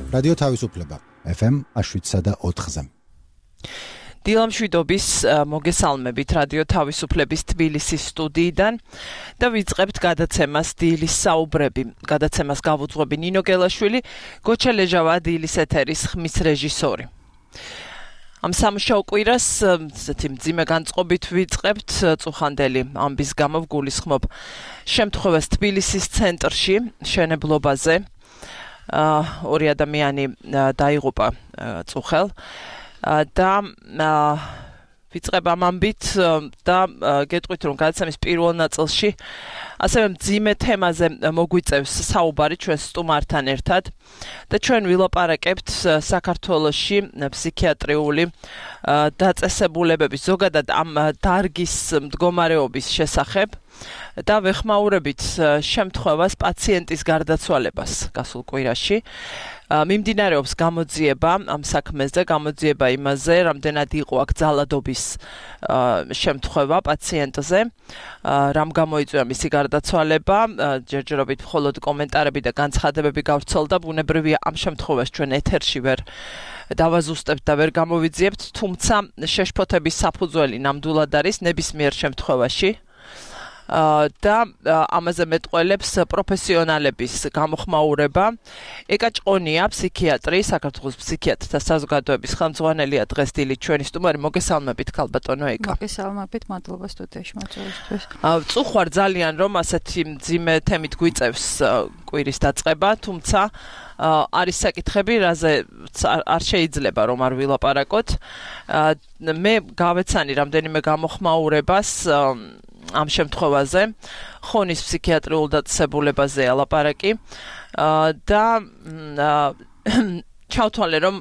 რადიო თავისუფლება FM 7.4-ზე. დილამშვიდობის მოგესალმებით რადიო თავისუფლების თბილისის სტუდიიდან და ვიწყებთ გადაცემას დილის საუბრები. გადაცემას გავუძღვები ნინო გელაშვილი, გოჩა ლეჟავა დილის ეთერის ხმის რეჟისორი. ამ სამუშაო კვირას მძიმე განწყობით ვიწყებთ წუხანდელი ამბის გამო ვგულისხმობ შემთხვევას თბილისის ცენტრში შენებლობაზე. ორი ადამიანი დაიღუპა წუხელ და ვიწყებ ამ ამბით და გეტყვით რომ გადაცემის პირველ ნაწილში ასევე მძიმე თემაზე მოგვიწევს საუბარი ჩვენ სტუმართან ერთად და ჩვენ ვილაპარაკებთ საქართველოში ფსიქიატრიული დაწესებულებების ზოგადად ამ დარგის მდგომარეობის შესახებ და ვეხმაურებით შემთხვევას პაციენტის გარდაცვალებას გასულ კვირაში. მიმდინარეობს გამოძიება ამ საქმეზე, გამოძიება იმაზე, რამდენად იყო აქ ძალადობის შემთხვევა პაციენტზე, რამ გამოიწვია მისი გარდაცვალება, ჯერჯერობით მხოლოდ კომენტარები და განცხადებები გავრცელდა, ბუნებრივია ამ შემთხვევას ჩვენ ეთერში ვერ დავაზუსტებთ და ვერ გამოვიძიებთ, თუმცა შეშფოთების საფუძველი ნამდვილად არის ნებისმიერ შემთხვევაში. და ამაზე მეტყველებს პროფესიონალების გამოხმაურება. ეკა ჭყონია, ფსიქიატრი, საქართველოს ფსიქიატრთა საზოგადოების ხელმძღვანელია დღეს დილით ჩვენი სტუმარი. მოგესალმებით, ქალბატონო ეკა. მოგესალმებით, მადლობა სტუდიაში მოწვევისთვის. წუხვარ ძალიან რომ ასეთი მძიმე თემით გვიწევს კვირის დაწყება, თუმცა არის საკითხები, რაზე არ შეიძლება რომ არ ვილაპარაკოთ. მე გავეცანი რამდენიმე გამოხმაურებას ამ შემთხვევაზე, ხონის ფსიქიატრიულ დაწესებულებაზე ალაპარაკი და ჩავთვალე რომ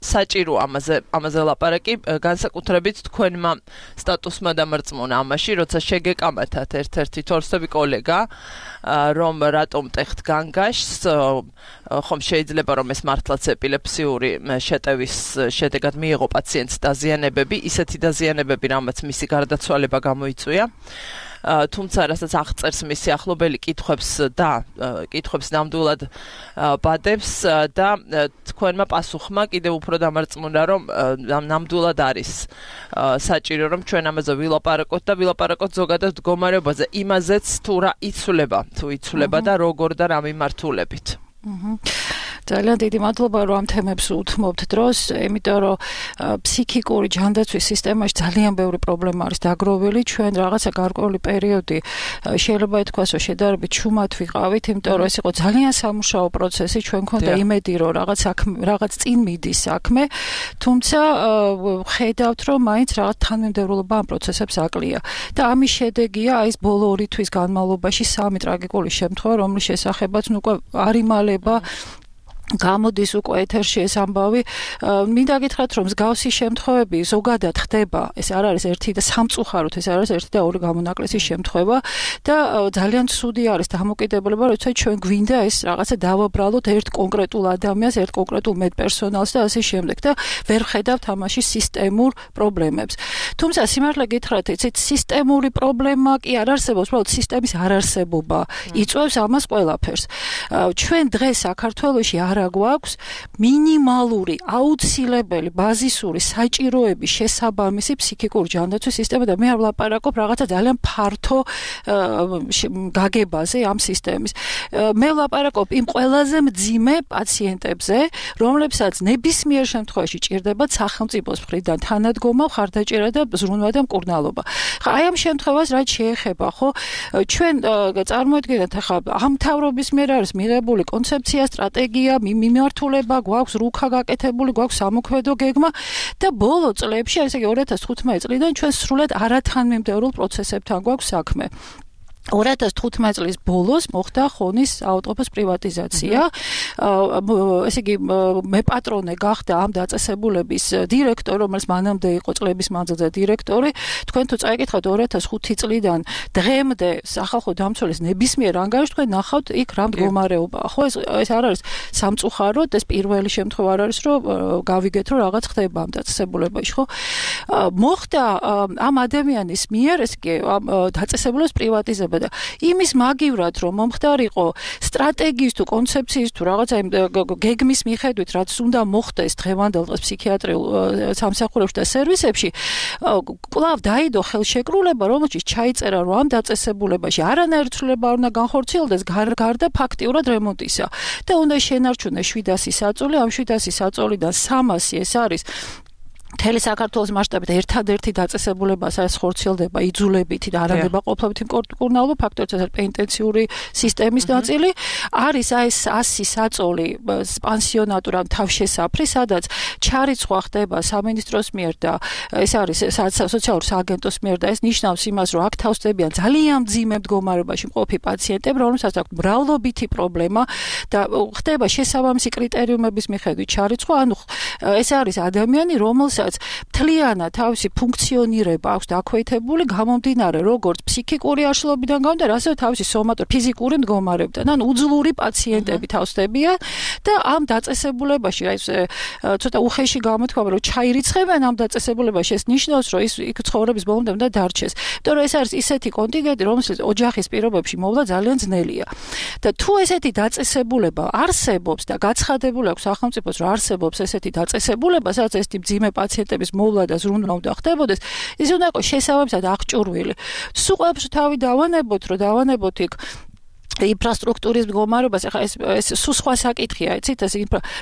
საჭირო ამაზე ლაპარაკი განსაკუთრებით თქვენმა სტატუსმა დამარწმუნა ამაში, როცა შეგეკამათათ ერთ-ერთი თორსები კოლეგა, რომ რატომ ტეხთ განგაშს, ხომ შეიძლება რომ ეს მართლაც ეპილეფსიური შეტევის შედეგად მიიღო პაციენტს დაზიანებები, ისეთი დაზიანებები, რამაც მისი გარდაცვალება გამოიწვია. თუმცა რასაც აღწერს მისი ახლობელი კითხვებს ნამდვილად ბადებს და თქვენმა პასუხმა კიდევ უფრო დამარწმუნა რომ ნამდვილად არის საჭირო რომ ჩვენ ამაზე ვილაპარაკოთ და ვილაპარაკოთ ზოგადად მდგომარეობაზე იმაზეც თუ რა იცვლება და როგორ და რა მიმართულებით. ძალიან დიდი მადლობა რომ ამ თემებს უთმობთ დროს, იმიტომ რომ ფსიქიკური ჯანდაცვის სისტემაში ძალიან ბევრი პრობლემა არის დაგროვილი, ჩვენ რაღაცა გარკვეული პერიოდი შეიძლება ითქვას რომ შედარებით ჩუმად ვიყავით, იმიტომ რომ ეს იყო ძალიან სამუშაო პროცესი, ჩვენ გქონდა იმედი რომ რაღაც წინ მიდის საქმე, თუმცა ხედავთ რომ მაინც რაღაც თანმიმდევრულობა ამ პროცესებს აკლია. და ამის შედეგია აი ეს ბოლო 2 თვის განმავლობაში 3 ტრაგიკული შემთხვევა, რომლის შესახებაც უკვე არ იმალება გამოდის უკვე ეთერში ეს ამბავი. მინდა გითხრათ რომ მსგავსი შემთხვევები ზოგადად ხდება, ეს არ არის ერთი და სამწუხაროდ ეს არის ერთი და ორი გამონაკლისის შემთხვევა და ძალიან ცუდი არის დამოკიდებულება, როცა ჩვენ გვინდა ეს რაღაცა დავაბრალოთ ერთ კონკრეტულ ადამიანს, ერთ კონკრეტულ მედპერსონალს და ასე შემდეგ და ვერ ხედავთ ამაში სისტემურ პრობლემებს. თუმცა სიმართლე გითხრათ, იცით, სისტემური პრობლემა კი არ არსებობს, უბრალოდ სისტემის არარსებობა იწვევს ამას ყველაფერს. ჩვენ დღეს საქართველოში არა გვაქვს მინიმალური, აუცილებელი, ბაზისური საჭიროების შესაბამისი ფსიქიკური ჯანდაცვის სისტემა და მე არ ვლაპარაკობ რაღაცა ძალიან ფართო გაგებაზე ამ სისტემის. მე ვლაპარაკობ იმ ყველაზე მძიმე პაციენტებზე, რომლებსაც ნებისმიერ შემთხვევაში ჭირდებათ სახელმწიფოს მხრიდან თანადგომა, მხარდაჭერა და ზრუნვა და მკურნალობა. აი ამ შემთხვევას რაც შეეხება, ხო, ჩვენ წარმოიდგინეთ ახლა ამ მთავრობის მიერ არის მიღებული კონცეფცია, სტრატეგია, მიმართულება, გვაქვს რუქა გაკეთებული, გვაქვს სამოქმედო გეგმა და ბოლო წლებში, ესე იგი 2015 წლიდან ჩვენ სრულად არათანმიმდევრულ პროცესებთან გვაქვს საქმე. 2015 წლის ბოლოს მოხდა ხონის ავტოფოს პრივატიზაცია. ესე იგი მეპატრონე გახდა ამ დაწესებულების დირექტორი, რომელიც მანამდე იყო წლების მანძილზე დირექტორი. თქვენ თუ წაიკითხავთ 2005 წლიდან დღემდე სახალხო დამცველის ნებისმიერ ანგარიშს თქვენ ნახავთ იქ რა მდგომარეობაა. ხო ეს არ არის სამწუხაროდ, ეს პირველი შემთხვევა არ არის, რომ გავიგეთ რომ რაღაც ხდება ამ დაწესებულებაში, ხო? მოხდა ამ ადამიანის მიერ, ესე იგი ამ დაწესებულების პრივატიზება ხდება და იმის მაგივრად რომ მომხდარიყო სტრატეგიის თუ კონცეფციის თუ რაღაცა გეგმის მიხედვით რაც უნდა მოხდეს დღევანდელ დღეს ფსიქიატრიულ სამსახურებში და სერვისებში კვლავ დაიდო ხელშეკრულება რომელშიც ჩაიწერა რომ ამ დაწესებულებაში არანაირი ცვლილება არ უნდა განხორციელდეს გარდა ფაქტიურად რემონტისა და უნდა შენარჩუნდეს 700 საწოლი ამ 700 საწოლიდან 300 ეს არის მთელი საქართველოს მასშტაბით ერთადერთი დაწესებულება სადაც ხორციელდება იძულებითი და არანდება ყოფილობითი მკურნალობა ფაქტორიც ეს პენიტენციური სისტემის ნაწილი არის ეს 100 საწოლი პანსიონატურ ან თავშესაფრი სადაც ჩარიცხვა ხდება სამინისტროს მიერ და ეს არის სოციალურ სააგენტოს მიერ და ეს ნიშნავს იმას რომ აქ თავსდებიან ძალიან მძიმე მდგომარეობაში მყოფი პაციენტები რომელსაც აქვს მრავლობითი პრობლემა და ხდება შესაბამისი კრიტერიუმების მიხედვით ჩარიცხვა ანუ ეს არის ადამიანი რომელსაც მთლიანად თავისი ფუნქციონირება აქვს დაქვეითებული გამომდინარე როგორც ფსიქიკური აშლობიდან გამომდინარე ასევე თავისი ფიზიკური მდგომარეობიდან ან უძლური პაციენტები თავსდებიან და ამ დაწესებულებაში ეს ცოტა უხეში გამოთქვა რომ ჩაირიცხებენ ამ დაწესებულებაში ეს ნიშნავს რომ ის იქ ცხოვრების ბოლომდე უნდა დარჩეს იმიტომ რომ ეს არის ისეთი კონტინგენტი რომელსაც ოჯახის პირობებში მოვლა ძალიან ძნელია და თუ ესეთი დაწესებულება არსებობს და გაცხადებული აქვს სახელმწიფოს რომ არსებობს ესეთი დაწესებულება სადაც ესეთი მძიმე პაციენტების მოვლა და ზრუნვა უნდა ხდებოდეს ის უნდა იყოს შესაბამისად აღჭურვილი სულ ყველაფერს თავი დავანებოთ რომ დავანებოთ იქ ინფრასტრუქტურის მდგომარეობას ახლა ეს სულ სხვა საკითხია იცით ეს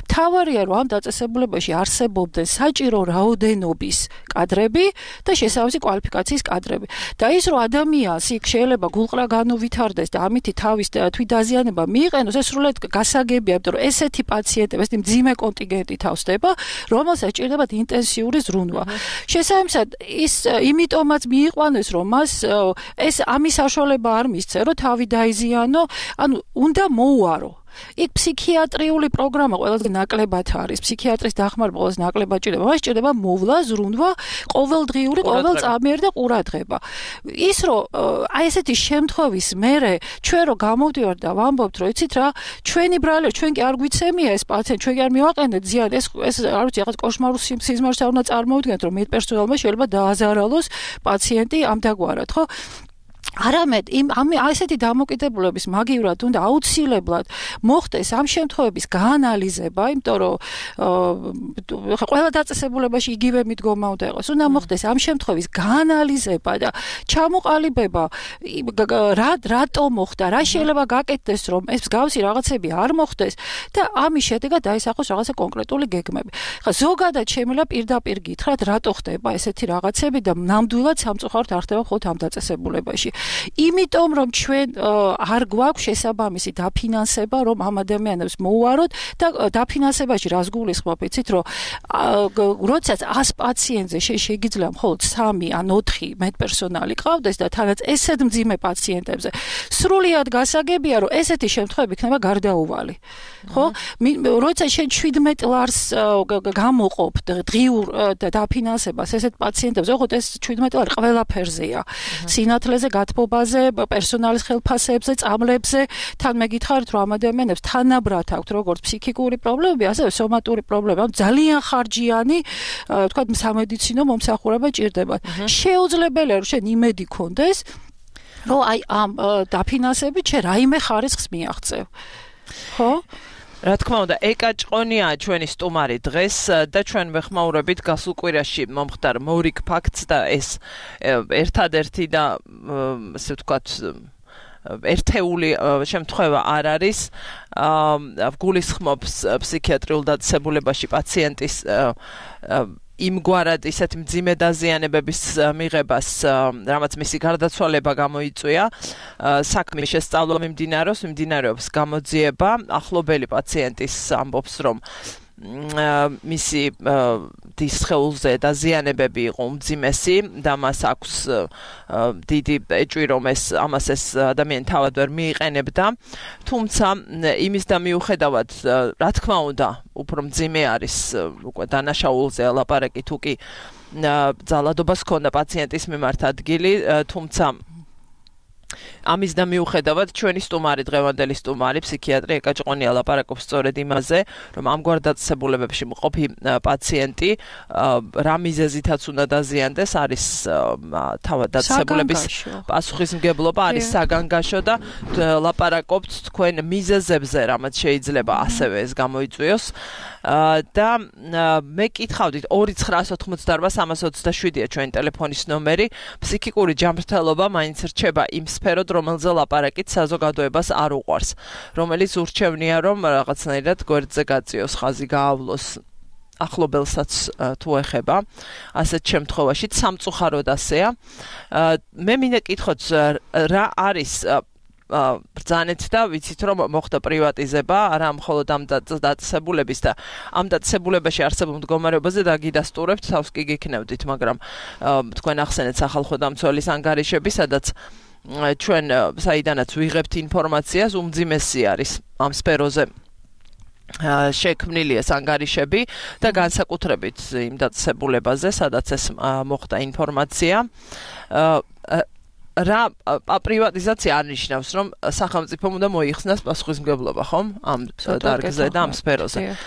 თავარია რომ ამ დაწესებულებაში არსებობდნენ საჭირო რაოდენობის კადრები და შესაბამისი კვალიფიკაციის კადრები და ის რომ ადამიანს იქ შეიძლება გულყრა განუვითარდეს და ამითი თავის თვითდაზიანება მიიყენოს ეს სრულად გასაგებია იმიტომ რომ ესეთი პაციენტები ესეთი მძიმე კონტინგენტი თავსდება რომელსაც ჭირდებათ ინტენსიური ზრუნვა შესაბამისად ის იმიტომაც მიიყვანეს რომ მას ეს ამის საშუალება არ მისცე რომ თავი დაიზიანო ანუ უნდა მოუარო იქ ფსიქიატრიული პროგრამა ყველაზე ნაკლებად არის ფსიქიატრის დახმარება ყველაზე ნაკლებად ჭირდება მას ჭირდება მოვლა ზრუნვა ყოველდღიური ყოველწამიერი და ყურადღება ის რომ აი ესეთი შემთხვევის მერე ჩვენ რო გამოვდივართ და ვამბობთ რომ იცით რა ჩვენი ბრალია ჩვენ კი არ გვიცემია ეს პაციენტი ჩვენ კი არ მივაყენეთ ზიან ეს არ ვიცი რაღაც კოშმარულ სიზმარს არ უნდა წარმოვიდგინოთ რომ მედპერსონალმა შეიძლება დააზარალოს პაციენტი ამდაგვარად ხო არამედ ესეთი დამოკიდებულების მაგივრად უნდა აუცილებლად მოხდეს ამ შემთხვევების გაანალიზება, იმიტომ რომ ყველა დაწესებულებაში იგივე მიდგომა უნდა იყოს. უნდა მოხდეს ამ შემთხვევის გაანალიზება და ჩამოყალიბება რატო მოხდა, რა შეიძლება გაკეთდეს, რომ ეს მსგავსი რაღაცები არ მოხდეს და ამის შედეგად დაისახოს რაღაცა კონკრეტული გეგმები. ხა ზოგადად შემიძლია პირდაპირ გითხრათ, რატო ხდება ესეთი რაღაცები და ნამდვილად სამწუხაროდ არ ხდება მხოლოდ ამ დაწესებულებაში. იმიტომ რომ ჩვენ არ გვაქვს შესაბამისი დაფინანსება რომ ამ ადამიანებს მოუაროთ და დაფინანსებაში რას გულისხმობ იცით რომ როდესაც 100 პაციენტზე შეიძლება მხოლოდ 3 ან 4 მედპერსონალი ყავდეს და თანაც ესეთ მძიმე პაციენტებზე სრულიად გასაგებია რომ ესეთი შემთხვევები იქნება გარდაუვალი ხო როდესაც შენ 17 ლარს გამოყოფ დღიურ დაფინანსებას ესეთ პაციენტებზე ხო ეს 17 ლარი ყველაფერზეა სინათლეზე გათბობაზე პერსონალის ხელფასებზე წამლებზე თან მეკითხარით რომ ამ ადამიანებს თანაბრად აქვთ როგორც ფსიქიკური პრობლემები ასევე სომატური პრობლემები ძალიან ხარჯიანი თქვა სამედიცინო მომსახურება ჭირდება შეუძლებელია რომ შენ იმედი გქონდეს რომ აი ამ დაფინანსებით შენ რაიმე ხარისხს მიაღწევ ხო რა თქმა უნდა, ეკა ჭყონია ჩვენი სტუმარი დღეს და ჩვენ ვეხმაურებით გასულ კვირაში მომხდარ მორიგ ფაქტს და ეს ერთადერთი და ასე ვთქვათ ერთეული შემთხვევა არ არის გულისხმობს ფსიქიატრიულ დაწესებულებაში პაციენტის იმგვარად ისეთი მძიმე დაზიანებების მიღებას, რამაც მისი გარდაცვალება გამოიწვია, საქმის შესწავლა მიმდინარეობს გამოძიება, ახლობელი პაციენტის ამბობს, რომ მისი სხეულზე დაზიანებები იყო უმძიმესი და მას აქვს დიდი ეჭვი რომ ამას ეს ადამიანი თავად ვერ მიიყენებდა თუმცა იმის და მიუხედავად რა თქმა უნდა უფრო მძიმე არის უკვე დანაშაულზე ლაპარაკი თუ კი ძალადობას ჰქონდა პაციენტის მიმართ ადგილი თუმცა ამის და მიუხედავად ჩვენი სტუმარი დღევანდელი სტუმარი ფსიქიატრი ეკა ჭყონია ლაპარაკობს სწორედ იმაზე, რომ ამგვარ დაწესებულებებში მყოფი პაციენტი რა მიზეზითაც უნდა დაზიანდეს, არის თავად დაწესებულების პასუხისმგებლობა, არის საგანგაშო და ლაპარაკობთ თქვენ მიზეზებზე, რამაც შეიძლება ასევე ეს გამოიწვიოს. და მე კითხავდით 2988327-ია ჩვენი ტელეფონის ნომერი. ფსიქიკური ჯანმრთელობა მაინც რჩება იმ სფეროდ, რომელზე ლაპარაკით საზოგადოებას არ უყვარს, რომელიც ურჩევნია, რომ რაღაცნაირად გვერდზე გაწიოს, ხაზი გაავლოს ახლობელსაც თუ ეხება. ასეთ შემთხვევაში სამწუხაროდ ასეა. მე მინდა კითხოთ, რა არის ბრძანეთ და ვიცით რომ მოხდა პრივატიზება, არა მხოლოდ ამ დაწესებულების და ამ დაწესებულებაში არსებულ მდგომარეობაზე დაგიდასტურებთ, თავს კი გიქნევდით, მაგრამ თქვენ ახსენეთ სახალხო დამცველის ანგარიშები, სადაც ჩვენ საიდანაც ვიღებთ ინფორმაციას, უმძიმესი არის ამ სფეროზე შექმნილი ეს ანგარიშები და განსაკუთრებით იმ დაწესებულებაზე, სადაც ეს მოხდა ინფორმაცია. რა პრივატიზაცია არნიშნავს, რომ სახელმწიფომ უნდა მოიხსნას პასუხისმგებლობა, ხომ? ამ დარგზე და ამ სფეროზე.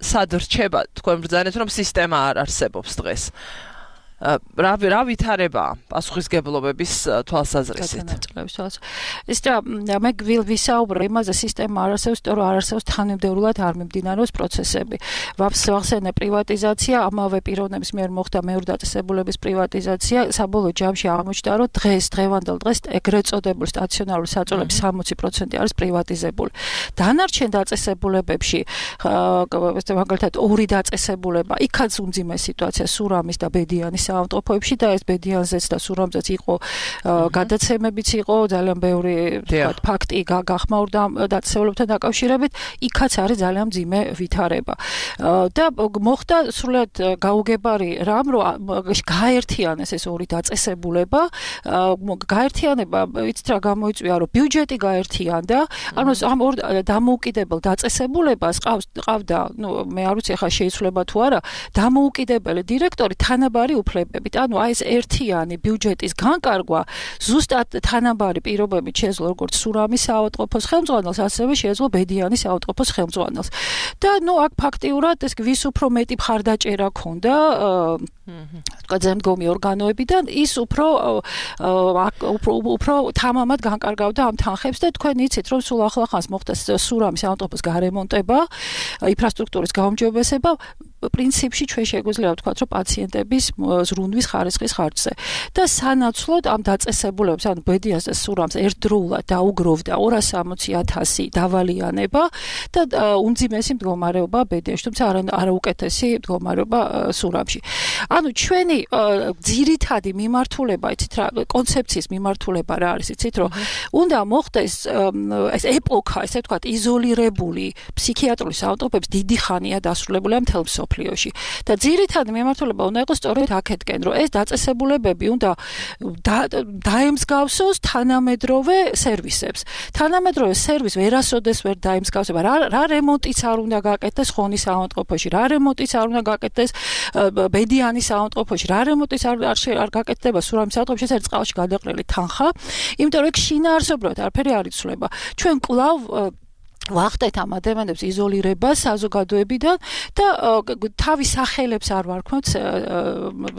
სად რჩება თქვენ ბრძანეთ, რომ სისტემა არ არსებობს დღეს? რა ვითარებაა პასუხისგებლობების თვალსაზრისით? ის და მე ვისაუბრე იმაზე, სისტემა არ არსებობს, იმიტომ რომ არ არსებობს თანმიმდევრულად არ მიმდინარეობს პროცესები. ვახსენე პრივატიზაცია, ამავე პიროვნების მიერ მოხდა მეორე დაწესებულების პრივატიზაცია, საბოლოო ჯამში აღმოჩნდა, რომ დღევანდელ დღეს ეგრეთ წოდებული სტაციონარული საწოლების 60% არის პრივატიზებული. დანარჩენ დაწესებულებებში, მაგალითად, ორი დაწესებულება, იქაც უმძიმესი სიტუაცია სურამის და ბედიანის საავადმყოფოებში და ეს ბედიანზეც და სურამზეც იყო გადაცემებიც იყო ძალიან ბევრი ფაქტი გახმაურდა დაწესებულებთან დაკავშირებით, იქაც არის ძალიან მძიმე ვითარება. და მოხდა სრულად გაუგებარი რამ, რომ გაერთიანეს ეს ორი დაწესებულება, გაერთიანება იცით რა გამოიწვია, რომ ბიუჯეტი გაერთიანდა, ანუ ამ ორ დამოუკიდებელ დაწესებულებას ყავდა, მე არ ვიცი ახლა შეიცვლება თუ არა, დამოუკიდებელი დირექტორი თანაბარი უფლებებით, ანუ აი ეს ერთიანი ბიუჯეტის განკარგვა ზუსტად თანაბარი პირობებით შეეძლო როგორც სურამის საავადმყოფოს ხელმძღვანელს, ასევე შეეძლო ბედიანის საავადმყოფოს ხელმძღვანელს. და აქ ფაქტიურად ეს ვის უფრო მეტი მხარდაჭერა ქონდა თქვა ზემდგომი ორგანოებიდან, ის უფრო თამამად განკარგავდა ამ თანხებს და თქვენ იცით, რომ სულ ახლახანს მოხდა სურამის საავადმყოფოს გარემონტება, ინფრასტრუქტურის გაუმჯობესება, პრინციპში ჩვენ შეგვიძლია ვთქვათ, რომ პაციენტების ზრუნვის ხარისხის ხარჯზე. და სანაცვლოდ ამ დაწესებულებას, ანუ ბედიანს და სურამს ერთდროულად დაუგროვდა 260,000 დავალიანება და უმძიმესი მდგომარეობა ბედიაში, თუმცა არაუკეთესი მდგომარეობა სურამში. ანუ ჩვენი ძირითადი მიმართულება, იცით რა, კონცეფციის მიმართულება რა არის, იცით რომ უნდა მოხდეს ეს ეპოქა, ესე ვთქვათ, იზოლირებული ფსიქიატრული საავადმყოფოების დიდი ხანია დასრულებული მთელ მსოფლიოში. და ძირითადი მიმართულება უნდა იყოს სწორედ აქეთკენ, რომ ეს დაწესებულებები უნდა დაემსგავსოს თანამედროვე სერვისებს. თანამედროვე სერვისი ვერასოდეს ვერ დაემსგავსება. რა რემონტიც არ უნდა გაკეთდეს ხონის საავადმყოფოში, რა რემონტიც არ უნდა გაკეთდეს ბედიანის საავადმყოფოში, რა რემონტიც არ გაკეთდება სურამის საავადმყოფოში, ეს არის წყალში გადაყრილი თანხა, იმიტომ რომ შინაარსობრივად არაფერი არ იცვლება. ჩვენ კვლავ ვახდეთ ამ ადამიანებს იზოლირებას საზოგადოებიდან და თავის სახელებს არ ვარქმევთ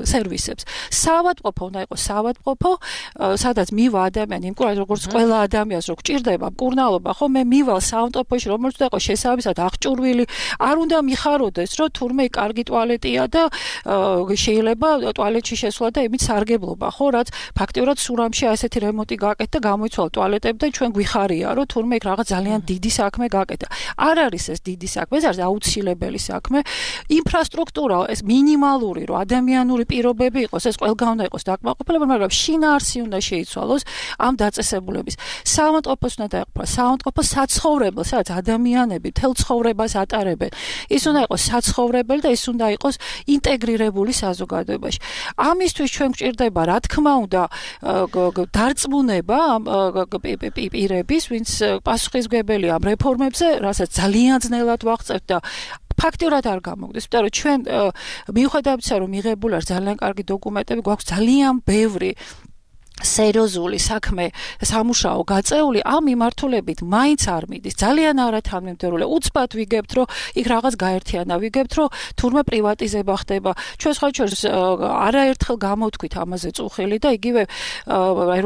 სერვისებს. საავადმყოფო უნდა იყოს საავადმყოფო, სადაც მივა ადამიანი, იმკურნალოდ როგორც ყველა ადამიანს რო გჭირდება მკურნალობა, ხო, მე მივალ საავადმყოფოში, რომელიც უნდა იყოს შესაბამისად აღჭურვილი, არ უნდა მიხაროდეს, რომ თურმე კარგი ტუალეტია და შეიძლება ტუალეტში შესვლა და იმით სარგებლობა, ხო, რაც ფაქტიურად სურამში ასეთი რემონტი გააკეთა, გამოიცვალა ტუალეტები და ჩვენ გვიხარია, რომ თურმე იქ რაღაც ძალიან დიდი საქმე გაკეთა. არ არის ეს დიდი საქმე, ეს არის აუცილებელი საქმე. ინფრასტრუქტურა ეს მინიმალური, რომ ადამიანური პირობები იყოს, ეს ყველგან უნდა იყოს დაკმაყოფილებული, მაგრამ შინაარსი უნდა შეიცვალოს ამ დაწესებულების. საავადმყოფოს უნდა დაეყრდნოს საავადმყოფო საცხოვრებელ, სადაც ადამიანები მთელ ცხოვრებას ატარებენ. ის უნდა იყოს საცხოვრებელი და ის უნდა იყოს ინტეგრირებული საზოგადოებაში. ამისთვის ჩვენ გვჭირდება, რა თქმა უნდა, დარწმუნება ამ პირების, ვინც პასუხისმგებელია ამ რეფორმებზე, რასაც ძალიან ძნელად ვაღწევთ და ფაქტიურად არ გამოგდეს, იმიტომ რომ ჩვენ მიუხედავად იმისა, რომ მიღებული არის ძალიან კარგი დოკუმენტები, გვაქვს ძალიან ბევრი სერიოზული საქმე სამუშაო გაწეული ამ მიმართულებით მაინც არ მიდის ძალიან არათანმიმდევრულია უცბად ვიგებთ რომ იქ რაღაც გაერთიანა ვიგებთ რომ თურმე პრივატიზება ხდება ჩვენ სხვა შორის არაერთხელ გამოვთქვით ამაზე წუხილი და იგივე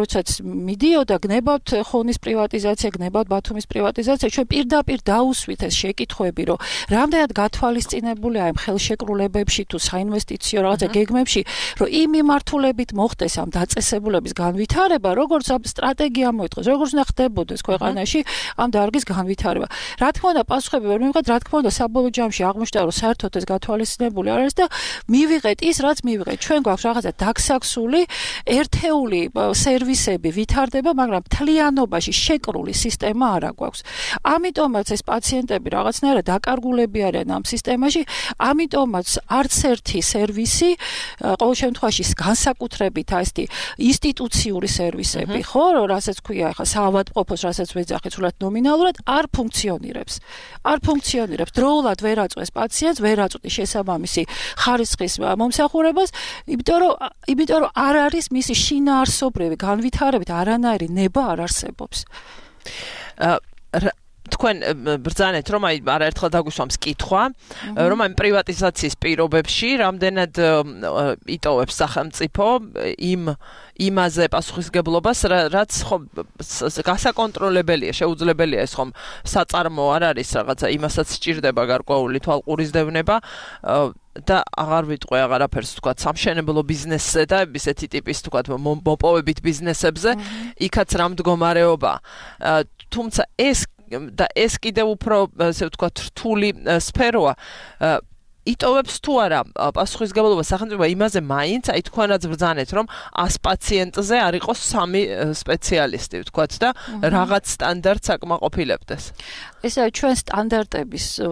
როდესაც მიდიოდა გნებავთ ხონის პრივატიზაცია გნებავთ ბათუმის პრივატიზაცია ჩვენ პირდაპირ დაუსვით ეს შეკითხვები რომ რამდენად გათვალისწინებულია ამ ხელშეკრულებებში თუ საინვესტიციო რაღაცა გეგმებში რომ იმ მიმართულებით მოხდეს ამ დაწესებულების განვითარება, როგორც ამ სტრატეგია მოითხოვს, როგორც უნდა ხდებოდეს ქვეყანაში ამ დარგის განვითარება. Რა თქმა უნდა, პასუხები ვერ მივიღეთ, რა თქმა უნდა, საბოლოო ჯამში აღმოჩნდა, რომ საერთოდ ეს გათვალისწინებული არ არის და მივიღეთ ის, რაც მივიღეთ. ჩვენ გვაქვს რაღაცა დაგსაქსული, ერთეული სერვისები ვითარდება, მაგრამ მთლიანობაში შეკრული სისტემა არ აქვს. ამიტომაც ეს პაციენტები რაღაცნაირად დაკარგულები არიან ამ სისტემაში, ამიტომაც არც ერთი სერვისი, ყოველ შემთხვევაში განსაკუთრებით ასეთი ინსტიტუციური სერვისები, ხო, რასაც ქვია ახლა საავადმყოფოს, რასაც ვეძახით სულად ნომინალურად, არ ფუნქციონირებს. არ ფუნქციონირებს. დროულად ვერ აწვეს პაციენტს, ვერ აწვდის შესაბამისი ხარისხის მომსახურებას, იმიტომ რომ არ არის მისი შინაარსობრივი განვითარებით არანაირი ნება არ არსებობს. თქვენ ბრძანეთ რომ აი არაერთხელ დაგვისვამს კითხვა რომ აი პრივატიზაციის პირობებში რამდენად იტოვებს სახელმწიფო იმაზე პასუხისგებლობას რაც ხომ გასაკონტროლებელია შეუძლებელია ეს ხომ საწარმო არ არის რაღაცა იმასაც სჭირდება გარკვეული თვალყურისდევნება და აღარ ვიტყვე აღარაფერს თქვა სამშენებლო ბიზნესზე და ესეთი ტიპის თქვა მოპოვებით ბიზნესებზე იქაც რა მდგომარეობა თუმცა ეს კიდევ უფრო ასე ვთქვათ რთული სფეროა იტოვებს თუ არა პასუხისგებლობა სახელმწიფო იმაზე მაინც აი თქვენაც ბრძანეთ რომ 100 პაციენტზე არ იყოს 3 სპეციალისტი ვთქვათ და რაღაც სტანდარტს აკმაყოფილებდეს ესა ჩვენ სტანდარტებზე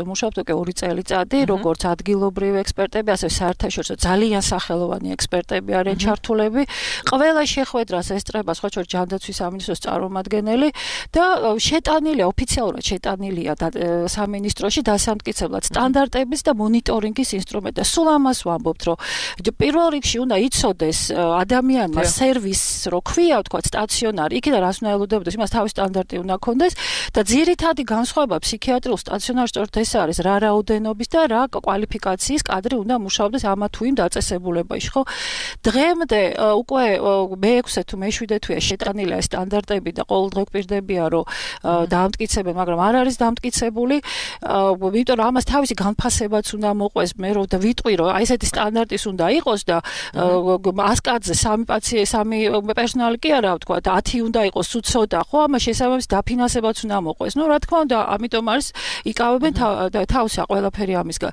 მუშაობთ უკვე 2 წელიწადი, როგორც ადგილობრივი ექსპერტები, ასევე საერთაშორისო ძალიან სახელოვანი ექსპერტები არიან ჩართულები. ყველა შეხვედრას ესწრება სხვა შორის ჯანდაცვის სამინისტროს წარმომადგენელი და შეტანილია ოფიციალურად შეტანილია სამინისტროში დასამტკიცებლად სტანდარტების და მონიტორინგის ინსტრუმენტი. და სულ ამას ვამბობთ, რომ პირველ რიგში უნდა იცოდეს ადამიანმა სერვისს რო ქვია, ვთქვათ, სტაციონარი, იქიდან რას უნდა ელოდებოდეს, იმას თავის სტანდარტი უნდა კონდეს და ძირითადი განსხვავება ფსიქიატრიულ სტაციონარში სწორედ ეს არის რა რაოდენობის და რა კვალიფიკაციის კადრი უნდა მუშაობდეს ამა თუ იმ დაწესებულებაში, ხო? დღემდე უკვე მე-6 თუ მე-7 თვეა შეტანილი ეს სტანდარტები და ყოველდღე გვპირდებია რომ დაამტკიცებენ, მაგრამ არ არის დამტკიცებული, იმიტომ რომ ამას თავისი განფასებაც უნდა მოყვეს, მე რომ და ვიტყვი რომ აი ესეთი სტანდარტის უნდა იყოს და 100 კაცზე 3 პერსონალი კი არა ვთქვა და 10 უნდა იყოს თუ ცოტა, ხო? ამას შესაბამის დაფინანსებაც უნდა მოყვეს. რა თქმა უნდა, ამიტომ არის იკავებენ თავსა ყველაფერი ამისგან.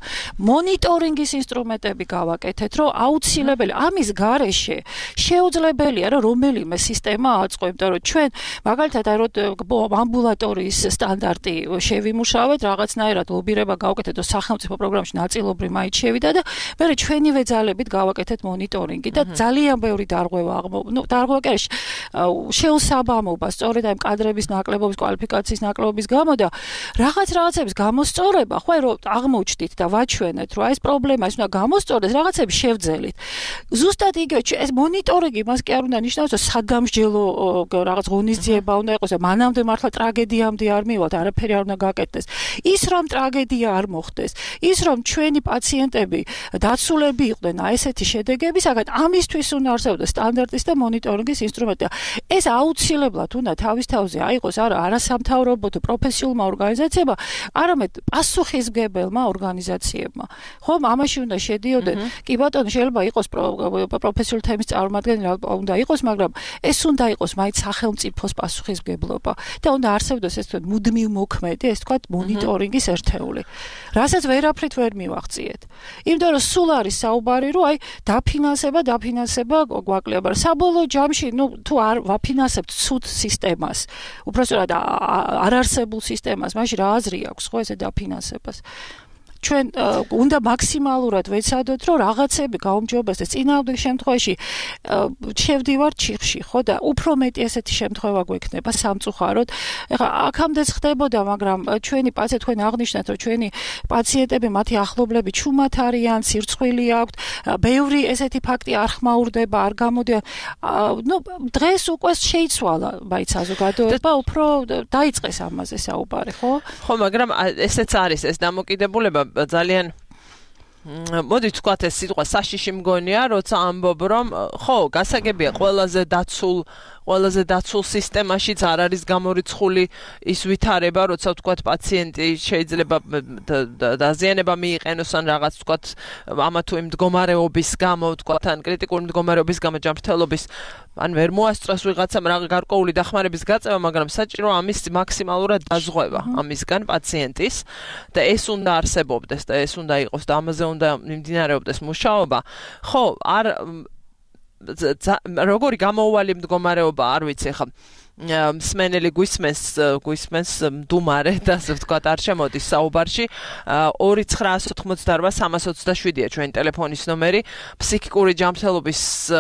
მონიტორინგის ინსტრუმენტები გავაკეთეთ, რომ აუცილებელი ამის გარეშე შეუძლებელია რომ რომელიმე სისტემა აწყო, იმიტომ რომ ჩვენ მაგალითად აი რომ ამბულატორიის სტანდარტი შევიმუშავეთ, რაღაცნაირად ლობირება გავაკეთეთ და სახელმწიფო პროგრამაში ნაწილობრივ მაინც შევიდა და მე ჩვენივე ძალებით გავაკეთეთ მონიტორინგი და ძალიან ბევრი დარღვევა დარღვევა კი შეუსაბამობა სწორედ აი კადრების ნაკლებობის კვალიფიკაციის ნაკლებობის გამო და რაღაცების გამოსწორება ხო რომ აღმოჩნდით და ვაჩვენეთ რომ აი ეს პრობლემა ის უნდა გამოსწორდეს რაღაცები შევძელით ზუსტად იგივე ეს მონიტორინგი მას კი არ უნდა ნიშნავს რომ სადამსჯელო რაღაც ღონისძიება უნდა იყოს და მანამდე მართლა ტრაგედიამდე არ მივალთ არაფერი არ უნდა გაკეთდეს ის რომ ტრაგედია არ მოხდეს ის რომ ჩვენი პაციენტები დაცულები იყვნენ აი ესეთი შედეგებისაგან ამისთვის უნდა არსებობდეს სტანდარტის და მონიტორინგის ინსტრუმენტი ეს აუცილებლად უნდა თავის თავზე აიღოს არასამთავრობო თუ პროფესიულმა ორგანიზაციებმა, არამედ პასუხისმგებელმა ორგანიზაციებმა. ხომ ამაში უნდა შედიოდნენ. კი ბატონო, შეიძლება იყოს პროფესიული თემის წარმომადგენელი, უნდა იყოს, მაგრამ ეს უნდა იყოს მაინც სახელმწიფოს პასუხისმგებლობა და უნდა არსებობდეს ეს თქვენ მუდმივ მოქმედი, ეს თქვათ მონიტორინგის ერთეული. რასაც ვერაფრით ვერ მივახციეთ. იმიტომ რომ სულ არის საუბარი, რომ აი დაფინანსება გვაკლია, მაგრამ საბოლოო ჯამში, თუ არ ვაფინანსებთ ცუდ სისტემას, უბრალოდ არ არსებულ სისტემას, მაშინ რა აზრი აქვს ხო ესე დაფინანსებას? ჩვენ უნდა მაქსიმალურად ვეცადოთ, რომ რაღაცები გაუმჯობესდეს. წინააღმდეგ შემთხვევაში შევდივართ ჩიხში, ხო და უფრო მეტი ესეთი შემთხვევა გვექნება სამწუხაროდ. ეხლა აქამდეც ხდებოდა, მაგრამ ჩვენი პაციენტები თქვენ აღნიშნეთ, რომ ჩვენი პაციენტები, მათი ახლობლები ჩუმად არიან, სირცხვილი აქვთ, ბევრი ესეთი ფაქტი არ ხმაურდება, არ გამოდიან. დღეს უკვე შეიცვალა მაინც საზოგადოება, უფრო დაიწყეს ამაზე საუბარი, ხო? ხო, მაგრამ ესეც არის ეს დამოკიდებულება ძალიან მოდით ვთქვათ ეს სიტყვა საშიში მგონია, როცა ამბობ რომ ხო, გასაგებია ყველაზე დაცულ სისტემაშიც არ არის გამორიცხული ის ვითარება, როცა ვთქვათ პაციენტი შეიძლება დაზიანება მიიყენოს ან რაღაც ვთქვათ ამა თუ იმ მდგომარეობის გამო, ვთქვათ ან კრიტიკული მდგომარეობის გამო ჯანმრთელობის ან ვერ მოასწროს ვიღაცამ რა გარკვეული დახმარების გაწევა, მაგრამ საჭირო ამის მაქსიმალურად დაზღვევა ამისგან პაციენტის და ეს უნდა არსებობდეს და ეს უნდა იყოს და ამაზე უნდა მიმდინარეობდეს მუშაობა. ხო, არ როგორი გამოუვალი მდგომარეობა არ ვიცი ხა მსმენელი გვისმენს მდუმარე და ასე ვთქვათ არ შემოდის საუბარში 2988-327-ია ჩვენი ტელეფონის ნომერი ფსიქიკური ჯანმრთელობის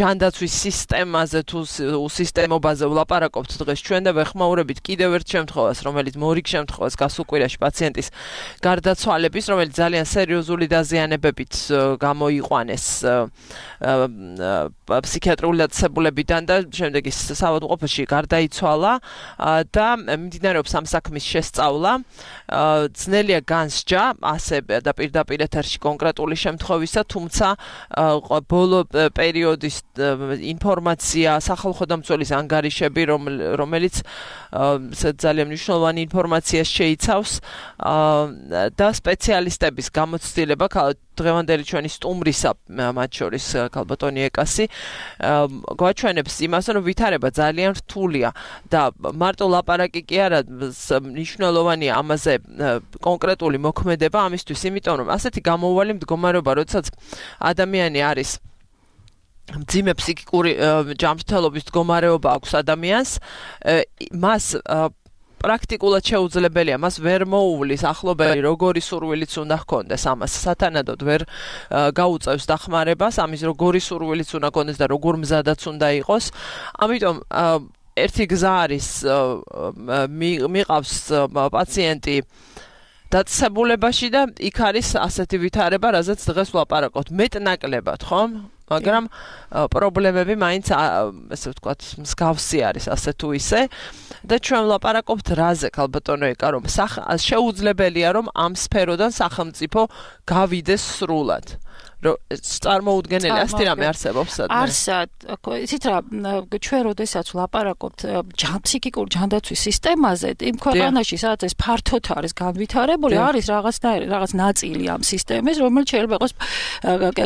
ჯანდაცვის სისტემაზე თუ სისტემობაზე ვლაპარაკობთ დღეს ჩვენ და ვეხმაურებით კიდევ ერთ შემთხვევას რომელიც მორიგ შემთხვევას გასულ კვირაში პაციენტის გარდაცვალების რომელიც ძალიან სერიოზული დაზიანებებით გამოიყვანეს ფსიქიატრიული დაწესებულებიდან და შემდეგ ის საავადმყოფოში გარდაიცვალა და მიმდინარეობს ამ საქმის შესწავლა. ძნელია განსჯა ასე და პირდაპირ ეთერში კონკრეტული შემთხვევისა, თუმცა ბოლო პერიოდის ინფორმაცია სახალხო დამცველის ანგარიშები, რომელიც ძალიან მნიშვნელოვანი ინფორმაციას შეიცავს და სპეციალისტების გამოცდილება დღევანდელი ჩვენი სტუმრისა მათ შორის ქალბატონი ეკასი გვაჩვენებს იმას, რომ ვითარება ძალიან რთულია და მარტო ლაპარაკი კი არა მნიშვნელოვანია ამაზე კონკრეტული მოქმედება ამისთვის, იმიტომ რომ ასეთი გამოუვალი მდგომარეობა, როდესაც ადამიანი არის მძიმე ფსიქიკური ჯანმრთელობის მდგომარეობა აქვს ადამიანს, მას პრაქტიკულად შეუძლებელია მას ვერ მოუვლის ახლობელი როგორი სურვილიც უნდა ჰქონდეს ამას სათანადოდ ვერ გაუწევს დახმარებას ამის როგორი სურვილიც უნდა ჰქონდეს და როგორ მზადაც უნდა იყოს ამიტომ ერთი გზა არის მიყავს პაციენტი დაწესებულებაში და იქ არის ასეთი ვითარება რაზეც დღეს ვლაპარაკობთ მეტნაკლებად ხომ მაგრამ პრობლემები მაინც ასე ვთქვათ მსგავსი არის ასე თუ ისე და ჩვენ ვლაპარაკობთ რაზე ქალბატონო ეკა რომ შეუძლებელია რომ ამ სფეროდან სახელმწიფო გავიდეს სრულად წარმოუდგენელი ასეთი რამე არსებობს სადმე არსად იცით რა ჩვენ როდესაც ვლაპარაკობთ ფსიქიკური ჯანდაცვის სისტემაზე იმ ქვეყანაში სადაც ეს ფართოდ არის განვითარებული არის რაღაც ნაწილი ამ სისტემის რომელიც შეიძლება იყოს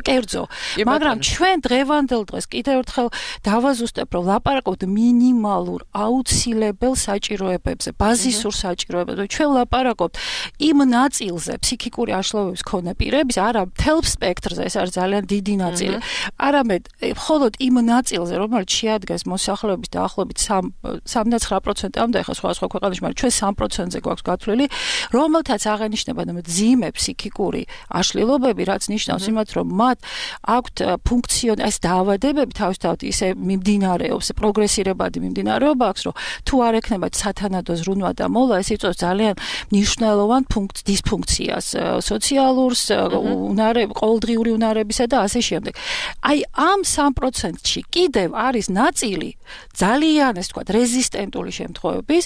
კერძო მაგრამ ჩვენ დღევანდელ დღეს კიდევ ერთხელ დავაზუსტებ რომ ვლაპარაკობთ მინიმალურ აუცილებელ საჭიროებებზე ბაზისურ საჭიროებებზე ჩვენ ვლაპარაკობთ იმ ნაწილზე ფსიქიკური აშლილობების მქონე პირების არა მთელ სპექტრზე ეს არის ძალიან დიდი ნაწილი. არამედ მხოლოდ იმ ნაწილზე, რომელიც შეადგენს მოსახლეობის დაახლოებით 39%-ამდე, ხა სხვა ქვეყანაში, მაგრამ ჩვენ 3%-ზე გვაქვს გათვლილი, რომელთაც აღენიშნება მძიმე ფსიქიკური აშლილობები, რაც ნიშნავს იმათ, რომ მათ აქვთ ფუნქციონალ დაავადებები თავისთავად ისე მიმდინარეობს, პროგრესირებადი მიმდინარეობა აქვს, რომ თუ არ ექნება სათანადო ზრუნვა და მოლა, ეს იწვევს ძალიან მნიშვნელოვან დისფუნქციას, სოციალურს, ყოველდღიური უნარებისა და ასე შემდეგ. აი ამ 3%-ში კიდევ არის ნაწილი ძალიან ეს თქვა რეზისტენტული შემთხვევების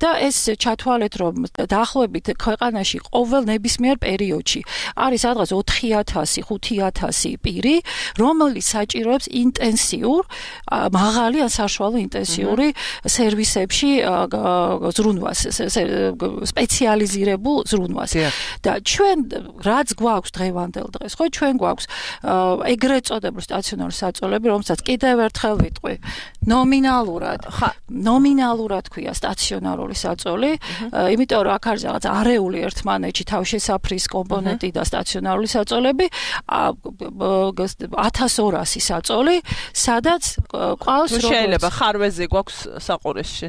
და ეს ჩათვალეთ რომ დაახლოებით ქვეყანაში ყოველ ნებისმიერ პერიოდში არის სადღაც 4000-5000 პირი, რომელიც საჭიროებს ინტენსიურ მაღალი ან საშუალო ინტენსიური სერვისებში ზრუნვას, სპეციალიზირებულ ზრუნვას. და ჩვენ რაც გვაქვს დღევანდელ დღეს, ხო ჩვენ გვაქვს ეგრეთ წოდებული სტაციონარული საწოლები, რომელსაც კიდევ ერთხელ ვიტყვი. ნომინალურად ქვია სტაციონარული საწოლი, იმიტომ რომ აქ არის რაღაც არეული ერთმანეთში თავშესაფრის კომპონენტი და სტაციონარული საწოლები, 1200 საწოლი, სადაც ყავს შეიძლება ხარვეზი გვაქვს საყურისში.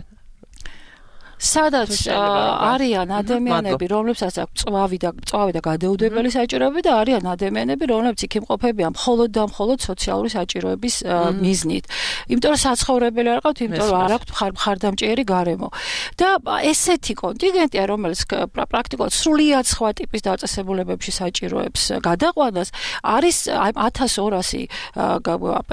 სადაც არიან ადამიანები, რომლებსაც აქვს წვავი და გადაუდებელი საჭიროები და არიან ადამიანები, რომლებიც იქ იმყოფებიან მხოლოდ და მხოლოდ სოციალური საჭიროების მიზნით. იმიტომ რომ საცხოვრებელი არ ყავთ, იმიტომ რომ არ აქვთ მხარდამჭერი გარემო. და ესეთი კონტინგენტია, რომელიც პრაქტიკულად სრულიად სხვა ტიპის დაწესებულებებში საჭიროებს გადაყვანას, არის 1200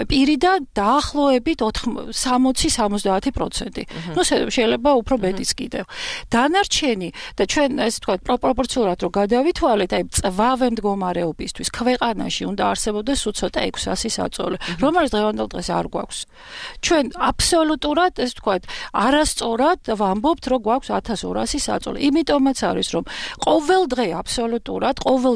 პირი და დაახლოებით 60-70%. ნუ შეიძლება უფრო მეტიც კიდევ. დანარჩენი და ჩვენ ესე ვთქვათ პროპორციულად რომ გადავითვალეთ, აი წვავე მდგომარეობისთვის ქვეყანაში უნდა არსებობდეს უცოტა 600 საწოლი, რომელიც დღევანდელ დღეს არ გვაქვს. ჩვენ აბსოლუტურად ესე ვთქვათ არასწორად ვამბობთ, რომ გვაქვს 1200 საწოლი. იმიტომაც არის, რომ ყოველ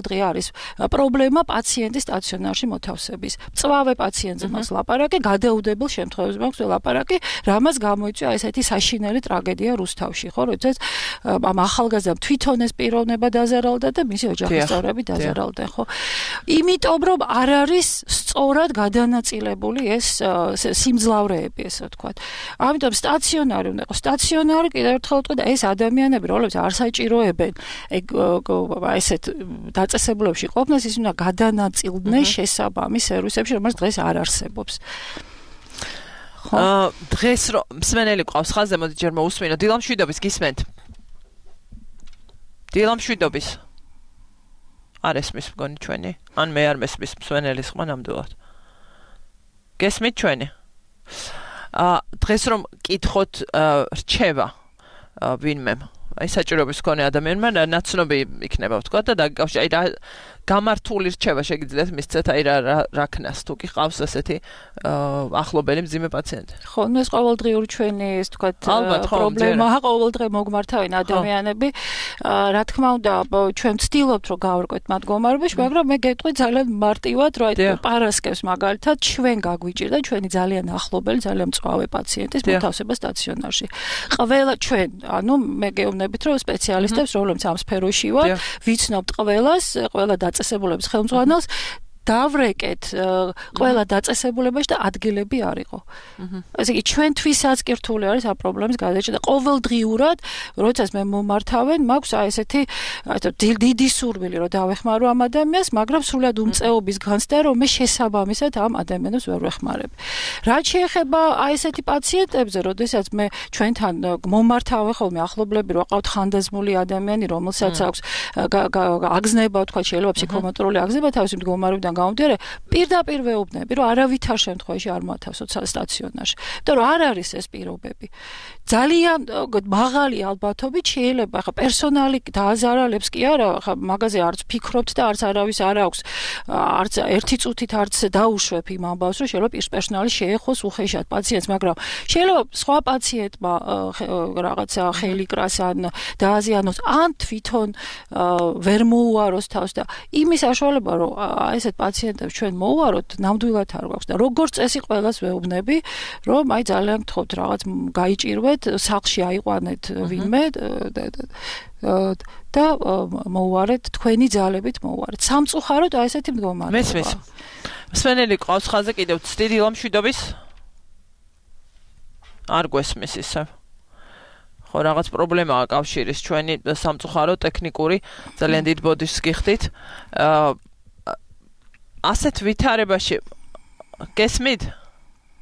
დღე არის პრობლემა პაციენტის სტაციონარში მოთავსების. წვავე პაციენტზე მაქვს ლაპარაკი, გადაუდებელ შემთხვევებში მაქვს ლაპარაკი, რამაც გამოიწვია ესეთი საშინელი ტრაგედია რუსთავში, ხო, როდესაც ამ ახალგაზრდამ თვითონ ეს პიროვნება დაზარალდა და მისი ოჯახის წევრები დაზარალდნენ, ხო? იმიტომ რომ არ არის სწორად გადანაწილებული ეს სიმძლავრეები, ესე ვთქვათ. ამიტომ სტაციონარი უნდა იყოს. სტაციონარი კიდევ ერთხელ ვთქვი და ეს ადამიანები, რომლებიც არ საჭიროებენ ესეთ დაწესებულებში ყოფნას, ის უნდა გადანაწილდნენ შესაბამის სერვისებში, რომელიც დღეს არ არსებობს. დღეს რომ მსმენელი ყავს ხაზზე, მოდი ჯერ მოусმინო. დილამშვიდობის გისმენთ? დილამშვიდობის. არ ესმის მგონი ჩვენი? ან მე არ მესმის მსმენელის ხმა ნამდვილად. გესმით ჩვენი? დღეს რომ კითხოთ რჩება ვინმემ აი საჭიროების მქონე ადამიანმა ნაცნობი იქნება ვთქვა და დაგიკავშირე აი რა გამართული რჩება შეგიძლიათ მისცეთ აი რა ქნას თუ კი ყავს ესეთი ახლობელი მძიმე პაციენტი. ხო, ეს ყოველდღიური ჩვენი ეს ვთქვათ პრობლემაა, ყოველდღე მოგმართავენ ადამიანები. რა თქმა უნდა, ჩვენ ვცდილობთ რომ გავარკვევთ მათ მდგომარეობაში, მაგრამ მე გეტყვი ძალიან მარტივად, რომ აი პარასკევს მაგალითად ჩვენ გაგვიჭირდა ჩვენი ძალიან ახლობელი, ძალიან მწვავე პაციენტის მოთავსება სტაციონარში. ყველა ჩვენ, ანუ მე გეუბნებით, რომ სპეციალისტებს, რომლებიც ამ სფეროში ვართ, ვიცნობთ ყველა დაწესებულების ხელმძღვანელს დავრეკეთ ყველა დაწესებულებაში და ადგილები არ იყო. ესე იგი ჩვენთვისაც კი რთული არის ამ პრობლემის გადაჭრა და ყოველდღიურად, როდესაც მე მომართავენ, მაქვს აი ესეთი დიდი სურვილი რომ დავეხმარო ამ ადამიანს, მაგრამ სულად უმწეობის განცდა რომ მე შესაბამისად ამ ადამიანებს ვერ ვეხმარებ. რაც შეეხება აი ესეთი პაციენტებზე, როდესაც მე ჩვენთან მომართავენ ხოლმე ახლობლები, რომ ყავთ ხანდაზმული ადამიანი, რომელსაც აქვს აგზნება, თქვა შეიძლება ფსიქომოტორული აგზნება თავისი მდგომარეობიდან გამომდინარე, პირდაპირ ვეუბნები, რომ არავითარ შემთხვევაში არ მოათავსოთ სტაციონარში. იმიტომ რომ არ არის ეს პირობები. ძალიან მაღალი ალბათობით შეიძლება ხა პერსონალი დააზარალებს კი არა, ხა მაგაზე არც ფიქრობთ და არც არავის არ აქვს, არც ერთი წუთით არც დაუშვებ იმ ამბავს, რომ შეიძლება პერსონალი შეეხოს უხეშად პაციენტს, მაგრამ შეიძლება სხვა პაციენტმა რაღაცა ხელი კრას ან დააზიანოს, ან თვითონ ვერ მოუაროს თავს და იმის საშუალება, რომ ესეთ პაციენტებს ჩვენ მოვაროთ, ნამდვილად არ გვაქვს და როგორც წესი ყველას ვეუბნები, რომ აი ძალიან გთხოვთ რაღაც გაიჭირვეთ, სახლში აიყვანეთ ვინმე და მოვარეთ, თქვენი ძალებით მოვარეთ. სამწუხაროდ აი ესეთი მდგომარეობა. მესმის. მსმენელი ყავს ხაზზე კიდევ ცდიდი დილამშვიდობის? არ გვესმის ისე. ხო, რაღაც პრობლემაა კავშირის ჩვენი სამწუხარო ტექნიკური, ძალიან დიდ ბოდიშს გიხდით. ასეთ ვითარებაში გესმით?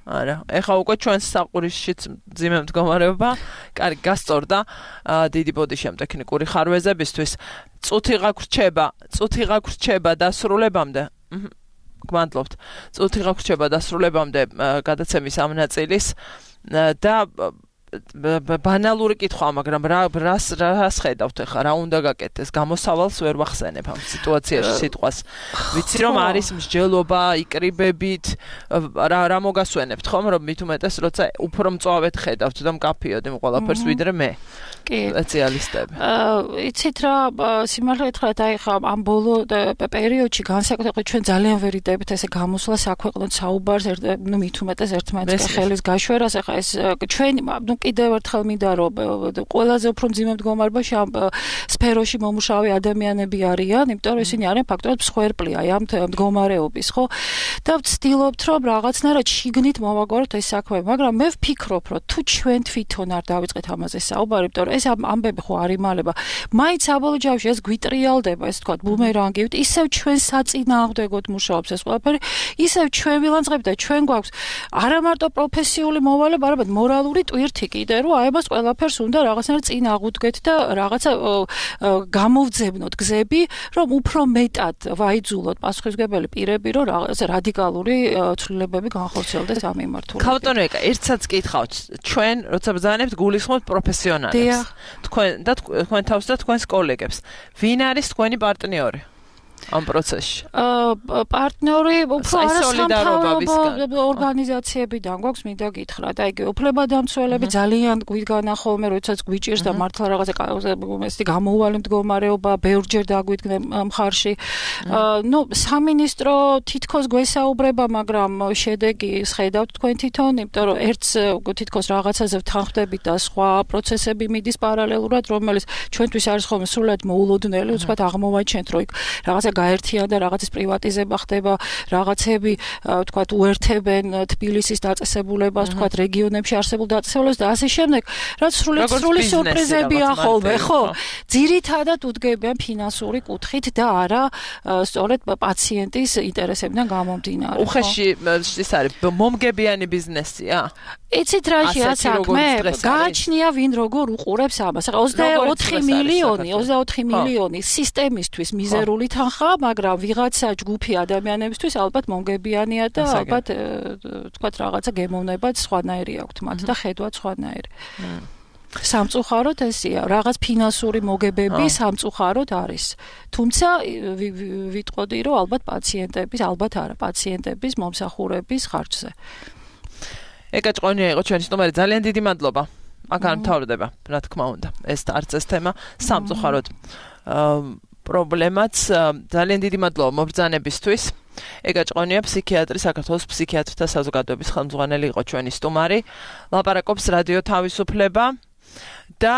არა, ეხლა უკვე ჩვენს საყურისშიც მძიმე მდგომარეობა, კარგი გასწორდა დიდი ბოდიში ამ ტექნიკური ხარვეზებისთვის. წუთი გაგვრჩება დასრულებამდე. გმადლობთ. წუთი გაგვრჩება დასრულებამდე გადაცემის ამ ნაწილის და ბანალური კითხვა, მაგრამ რას ხედავთ ახლა, რა უნდა გაკეთდეს? გამოსავალს ვერ ვახსენებ ამ სიტუაციაში სიტყვას. ვიცი რომ არის მსჯელობა, იკრიბებით, რა მოგასვენებთ ხომ, რომ მით უმეტეს როცა უფრო მწვავედ ხედავთ და მკაფიოდ იმ ყველაფერს ვიდრე მე. კი. სპეციალისტები. იცით რა, სიმართლე გითხრათ, აი ხა ამ ბოლო პერიოდში განსაკუთრებით ჩვენ ძალიან ვერიდებით ესე გამოსვლა საქვეყნოდ საუბარს, ნუ მით უმეტეს ერთმანეთს ხელის გაშვერას, ახლა ეს ჩვენი, ნუ კიდევ ერთხელ მინდა რომ ყველაზე უფრო მძიმე მდგომარეობაში ამ სფეროში მომუშავე ადამიანები არიან, იმიტომ რომ ისინი არიან ფაქტობრივად მსხვერპლი აი ამ მდგომარეობის, ხო? და ვცდილობთ რომ რაღაცნაირად შიგნით მოვაგვაროთ ეს საქმე, მაგრამ მე ვფიქრობ რომ თუ ჩვენ თვითონ არ დავიწყეთ ამაზე საუბარი, იმიტომ რომ ეს ამბები ხო არ იმალება. მაინც საბოლოო ჯამში ეს გვიტრიალდება, ეს თქვა ბუმერანგივით, ისევ ჩვენ საწინააღმდეგოდ მუშაობს ეს ყველაფერი, ისევ ჩვენ ვილანძღებით და ჩვენ გვაქვს არა მარტო პროფესიული მოვალეობა, არამედ მორალური ტვირთი კიდე, რომ აი ამას ყველაფერს უნდა რაღაცნაირად წინ აღუდგეთ და რაღაცა გამოვძებნოთ გზები, რომ უფრო მეტად ვაიძულოთ პასუხისმგებელი პირები, რომ რაღაცა რადიკალური ცვლილებები განხორციელდეს ამ მიმართულებით. ქავტონო ეკა, ერთსაც კითხავთ, ჩვენ როცა ბრძანებთ გულისხმობთ პროფესიონალებს. თქვენ თავს და თქვენს კოლეგებს. ვინ არის თქვენი პარტნიორი ამ პროცესში? პარტნიორი უფრო არასამთავრობო ორგანიზაციებიდან გვაქვს, მინდა გითხრათ. აი უფლებადამცველები ძალიან გვიდგანა ხოლმე, როდესაც გვიჭირს და მართლა რაღაცა ესეთი გამოუვალი მდგომარეობა ბევრჯერ დაგვიდგნენ მხარში. სამინისტრო თითქოს გვესაუბრება, მაგრამ შედეგი ხედავთ თქვენ თვითონ, იმიტომ რომ ერთს თითქოს რაღაცაზე ვთანხმდებით და სხვა პროცესები მიდის პარალელურად, რომელიც ჩვენთვის არის ხოლმე სრულად მოულოდნელი, უცბად აღმოვაჩენთ, რომ იქ რაღაცა გაერთიანდა, რაღაცის პრივატიზება ხდება, რაღაცები, თქვათ, უერთებენ თბილისის დაწესებულებას, თქვათ, რეგიონებში არსებულ დაწესებულებას და ასე შემდეგ, რაც სრული სიურპრიზებია ხოლმე, ხო? ძირითადად უდგებიან ფინანსური კუთხით და არა სწორედ პაციენტის ინტერესებიდან გამომდინარე. უხეში ის არის მომგებიანი ბიზნესია? იცით რაშია საქმე? გააჩნია ვინ როგორ უყურებს ამას. 24 მილიონი სისტემისთვის მიზერული თანხა, მაგრამ ვიღაცა ჯგუფი ადამიანებისთვის ალბათ მომგებიანია და ალბათ თქვათ რაღაცა გემოვნებაც სხვანაირი აქვთ მათ და ხედვაც სხვანაირი. სამწუხაროდ ესია, რაღაც ფინანსური მოგებები სამწუხაროდ არის. თუმცა ვიტყოდი, რომ ალბათ პაციენტების მომსახურების ხარჯზე. ეკა ჭყონია იყო ჩვენი სტუმარი, ძალიან დიდი მადლობა. მაგან მთავრდება, რა თქმა უნდა. ეს არც ეს თემა სამწუხაროდ პრობლემაც. ძალიან დიდი მადლობა მობრძანებისთვის. ეკა ჭყონია ფსიქიატრი, საქართველოს ფსიქიატრთა საზოგადოების ხელმძღვანელი იყო ჩვენი სტუმარი. ლაპარაკობს რადიო თავისუფლება და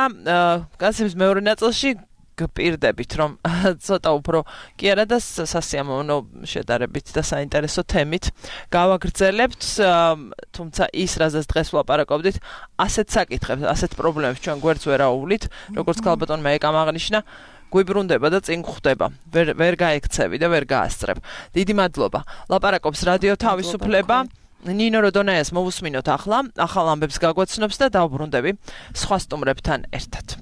განსაკუთრებით მეორე ნაწილში გპირდებით, რომ ცოტა უფრო კი არა და სასიამოვნო შედარებით და საინტერესო თემით გავაგრძელებთ, თუმცა ის რაზეც დღეს ვლაპარაკობდით, ასეთ საკითხებს, ასეთ პრობლემებს ჩვენ გვერდს ვერ აუვლით, როგორც ქალბატონმა ეკამ აღნიშნა, გვიბრუნდება და წინ გვხვდება. ვერ გაექცევი და ვერ გაასწრებ. დიდი მადლობა. ლაპარაკობს რადიო თავისუფლება. ნინო როდონაიას მოვუსმინოთ ახლა, ახალ ამბებს გაგვაცნობს და დავბრუნდები სხვა სტუმრებთან ერთად.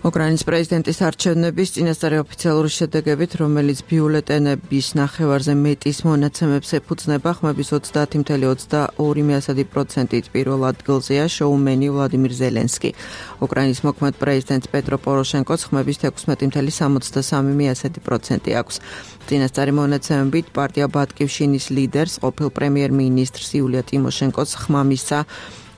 უკრაინის პრეზიდენტის არჩევნების წინასწარი ოფიციალური შედეგებით, რომელიც ბიულეტენების ნახევარზე მეტის მონაცემებს ეფუძნება, ხმების 30.22%-ით პირველ ადგილზეა შოუმენი ვლადიმირ ზელენსკი. უკრაინის მოქმედ პრეზიდენტ პეტრო პოროშენკოს ხმების 16.73% აქვს. წინასწარი მონაცემებით პარტია ბატკივშინის ლიდერს, ყოფილ პრემიერ-მინისტრს იულია ტიმოშენკოს ხმა მისცა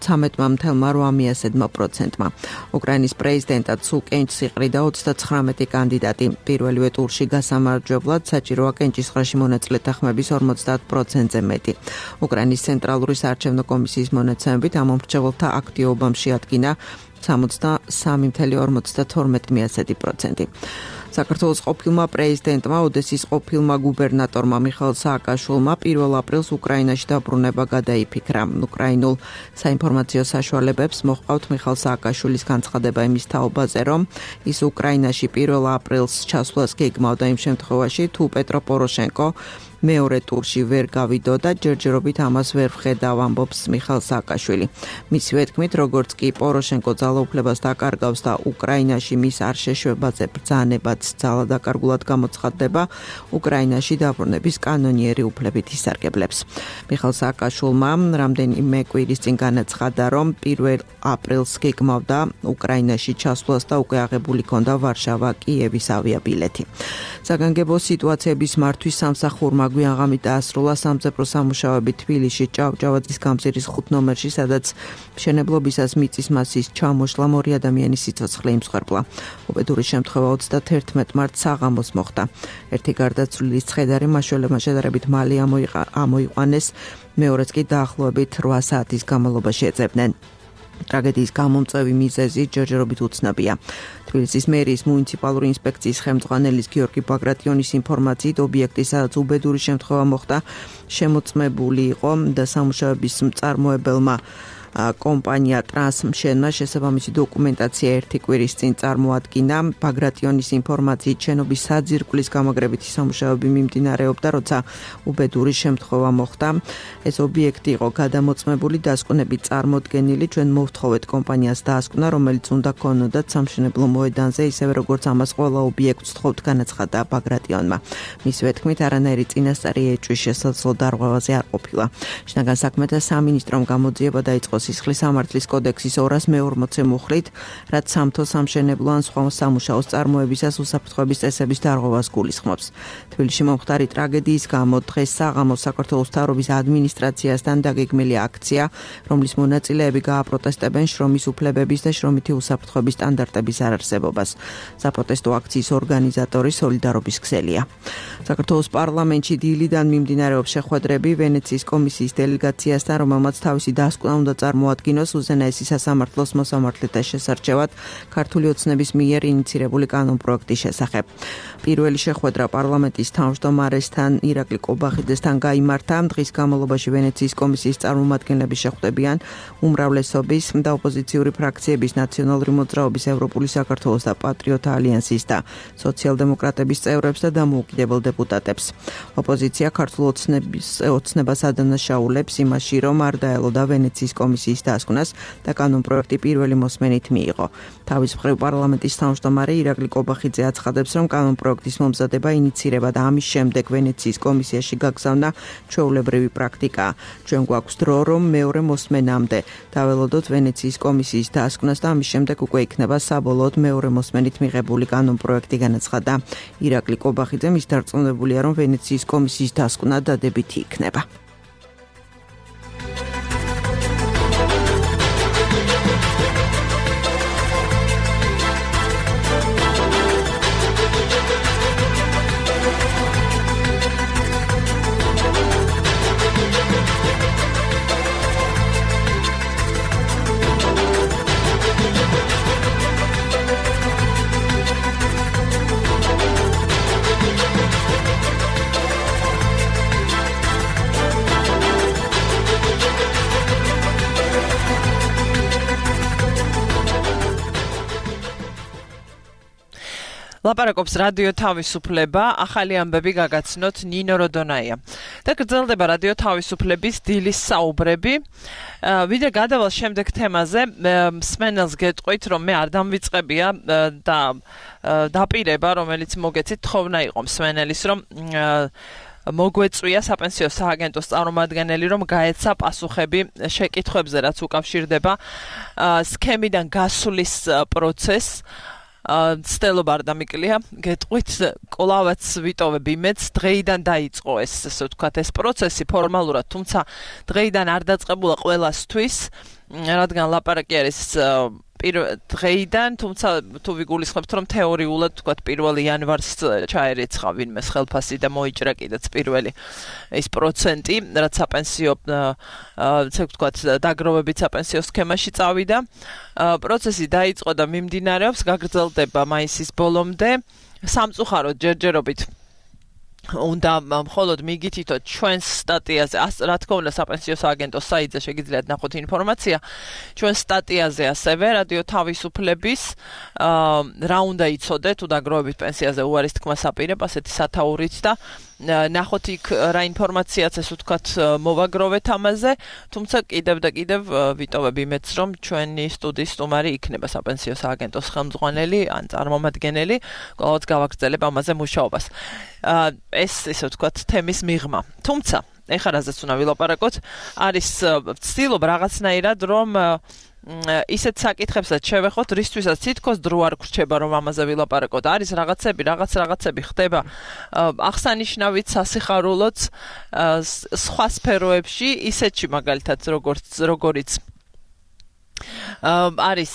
13.8%-მა. უკრაინის პრეზიდენტად სულ კენჭს იყრიდა 39 კანდიდატი. პირველივე ტურში გასამარჯვებლად საჭიროა კენჭისყრაში მონაწილეთა ხმების 50%-ზე მეტი. უკრაინის ცენტრალური საარჩევნო კომისიის მონაცემებით ამ მომრჩეველთა აქტიობამ შეადგინა 63.52%. საქართველოს ყოფილმა პრეზიდენტმა, ოდესის ყოფილმა გუბერნატორმა მიხაილ სააკაშვილმა 1 აპრილს უკრაინაში დაბრუნება გადაიფიქრა. უკრაინულ საინფორმაციო საშუალებებს მოჰყავთ მიხაილ სააკაშვილის განცხადება იმის თაობაზე, რომ ის უკრაინაში 1 აპრილს ჩასვლას გეგმავდა იმ შემთხვევაში, თუ პეტრო პოროშენკო მეორე ტურში ვერ გავიდო და ჯერჯერობით ამას ვერ ვხედავ, ამბობს მიხაილ სააკაშვილი. მისივე თქმით, როგორც კი პოროშენკო ძალაუფლებას დაკარგავს და უკრაინაში მის არ შეშვებაზე ბრძანებაც ძალადაკარგულად გამოცხადდება, უკრაინაში დაბრუნების კანონიერი უფლებით ისარგებლებს. მიხაილ სააკაშვილმა რამდენიმე კვირის წინ განაცხადა, რომ 1 აპრილს გეგმავდა უკრაინაში ჩასვლას და უკვე აღებული ჰქონდა ვარშავა-კიევის ავიაბილეთი. საგანგებო სიტუაციების მართვის სამსახურმა გვიან ღამით დაასრულა სამძებრო სამუშაოები თბილისში ჭავჭავაძის გამზირის 5 ნომერში, სადაც მშენებლობისას მიწის მასის ჩამოშლა 2 ადამიანის სიცოცხლე იმსხვერპლა. უბედური შემთხვევა 31 მარტს საღამოს მოხდა. ერთი გარდაცვლილის ცხედარი მაშველებმა შედარებით მალე ამოიყვანეს, მეორეც კი დაახლოებით 8 საათის განმავლობაში ეძებდნენ. ტრაგედიის გამომწვევი მიზეზი ჯერჯერობით უცნობია. თბილისის მერიის მუნიციპალური ინსპექციის ხელმძღვანელის გიორგი ბაგრატიონის ინფორმაციით, ობიექტი, სადაც უბედური შემთხვევა მოხდა, შემოწმებული იყო და სამუშაოების მწარმოებელმა კომპანია ტრანსმშენმა შესაბამისი დოკუმენტაცია ერთი კვირის წინ წარმოადგინა. ბაგრატიონის ინფორმაციით, შენობის საძირკვლის გამაგრებითი სამუშაოები მიმდინარეობდა, როცა უბედური შემთხვევა მოხდა. ეს ობიექტი იყო გადამოწმებული, დასკვნებით წარმოდგენილი. ჩვენ მოვთხოვეთ კომპანიას დაასკვნა, რომელიც უნდა ქონოდათ სამშენებლო მოედანზე, ისევე როგორც ამას ყველა ობიექტს ვთხოვთ, განაცხადა ბაგრატიონმა. მისივე თქმით, არანაირი წინასწარი ეჭვის შესაძლო დარღვევაზე არ ყოფილა. შინაგან საქმეთა სამინისტრომ გამოძიება დაიწყო სისხლის სამართლის კოდექსის 240 მუხლით, რაც სამთო სამშენებლო ან სხვა სამუშაოს წარმოებისას უსაფრთხოების წესების დარღვევას გულისხმობს. თბილისში მომხდარი ტრაგედიის გამო დღეს საღამოს საქართველოს მთავრობის ადმინისტრაციასთან დაგეგმილი აქცია, რომლის მონაწილეები გააპროტესტებენ შრომის უფლებების და შრომითი უსაფრთხოების სტანდარტების არარსებობას. საპროტესტო აქციის ორგანიზატორი სოლიდარობის ქსელია. საქართველოს პარლამენტში დილიდან მიმდინარეობს შეხვედრები ვენეციის კომისიის დელეგაციასთან, რომელმაც თავისი დასკვნა უნდა წარმოადგინოს უზენაესი სასამართლოს მოსამართლეთა შესარჩევად ქართული ოცნების მიერ ინიცირებული კანონპროექტის შესახებ. პირველი შეხვედრა პარლამენტის თავმჯდომარესთან ირაკლი კობახიძესთან გაიმართა. დღის განმავლობაში ვენეციის კომისიის წარმომადგენლები შეხვდებიან უმრავლესობის და ოპოზიციური ფრაქციების, ნაციონალური მოძრაობის, ევროპული საქართველოს და პატრიოტთა ალიანსის და სოციალ-დემოკრატების წევრებს და დამოუკიდებელ დეპუტატებს. ოპოზიცია ქართულ ოცნებას ადანაშაულებს იმაში, რომ არ დაელოდა ვენეციის კომისიის დასკვნას და კანონპროექტი პირველი მოსმენით მიიღო. თავის მხრივ პარლამენტის თავმჯდომარე ირაკლი კობახიძე აცხადებს, რომ კანონპროექტის მომზადება ინიცირება და ამის შემდეგ ვენეციის კომისიაში გაგზავნა ჩვეულებრივი პრაქტიკაა. ჩვენ გვაქვს დრო, რომ მეორე მოსმენამდე დაველოდოთ ვენეციის კომისიის დასკვნას და ამის შემდეგ უკვე იქნება საბოლოოდ მეორე მოსმენით მიღებული კანონპროექტი, განაცხადა ირაკლი კობახიძემ. ის დარწმუნებულია, რომ ვენეციის კომისიის დასკვნა დადებითი იქნება. ლაპარაკობს რადიო თავისუფლება, ახალი ამბები გაგაცნოთ ნინო როდონაია. და გრძელდება რადიო თავისუფლების დილის საუბრები. ვიდრე გადავალ შემდეგ თემაზე, მსმენელს გეტყვით, რომ მე არ დამვიწყებია და დაპირება, რომელიც მოგეცით, თხოვნა იყო მსმენელის, რომ მოგვეწვია საპენსიო სააგენტოს წარმომადგენელი, რომ გაეცა პასუხები შეკითხვებზე, რაც უკავშირდება სქემიდან გასვლის პროცესს. ცდელობა არ დამიკლია, გეტყვით, კვლავაც ვიტოვებ იმედს, დღეიდან დაიწყო ეს, ასე ვთქვათ, ეს პროცესი ფორმალურად, თუმცა დღეიდან არ დაწყებულა ყველასთვის, რადგან ლაპარაკი არის დღეიდან, თუმცა თუ ვიგულისხმებთ, რომ თეორიულად, ვთქვათ, 1 იანვარს ჩაერიცხა ვინმეს ხელფასი და მოიჭრა კიდეც პირველი ის პროცენტი, რაც საპენსიო, ასე ვთქვათ, დაგროვებით საპენსიო სქემაში წავიდა. პროცესი დაიწყო და მიმდინარეობს, გაგრძელდება მაისის ბოლომდე. სამწუხაროდ ჯერჯერობით უნდა მხოლოდ მიგითითოთ ჩვენს სტატიაზე, რა თქმა უნდა საპენსიო სააგენტოს საიტზე შეგიძლიათ ნახოთ ინფორმაცია. ჩვენ სტატიაზე ასევე რადიო თავისუფლების რა უნდა იცოდეთ თუ დაგროვებით პენსიაზე უარის თქმას აპირებ ასეთი სათაურით და ნახოთ იქ რა ინფორმაციაც ესე ვთქვათ მოვაგროვეთ ამაზე, თუმცა კიდევ და კიდევ ვიტოვებ იმედს, რომ ჩვენი სტუდიის სტუმარი იქნება საპენსიო სააგენტოს ხელმძღვანელი ან წარმომადგენელი, ყოველთვის გავაგრძელებ ამაზე მუშაობას. ეს ესე ვთქვათ თემის მიღმა. თუმცა ეხლა რაზეც უნდა ვილაპარაკოთ, არის ვცდილობ რაღაცნაირად რომ ისეთ საკითხებსაც შევეხოთ, რისთვისაც თითქოს დრო არ გრჩება, რომ ამაზე ვილაპარაკოთ. არის რაღაცები ხდება აღსანიშნავით, სასიხარულოც, სხვა სფეროებში, ისეთში მაგალითად როგორიც არის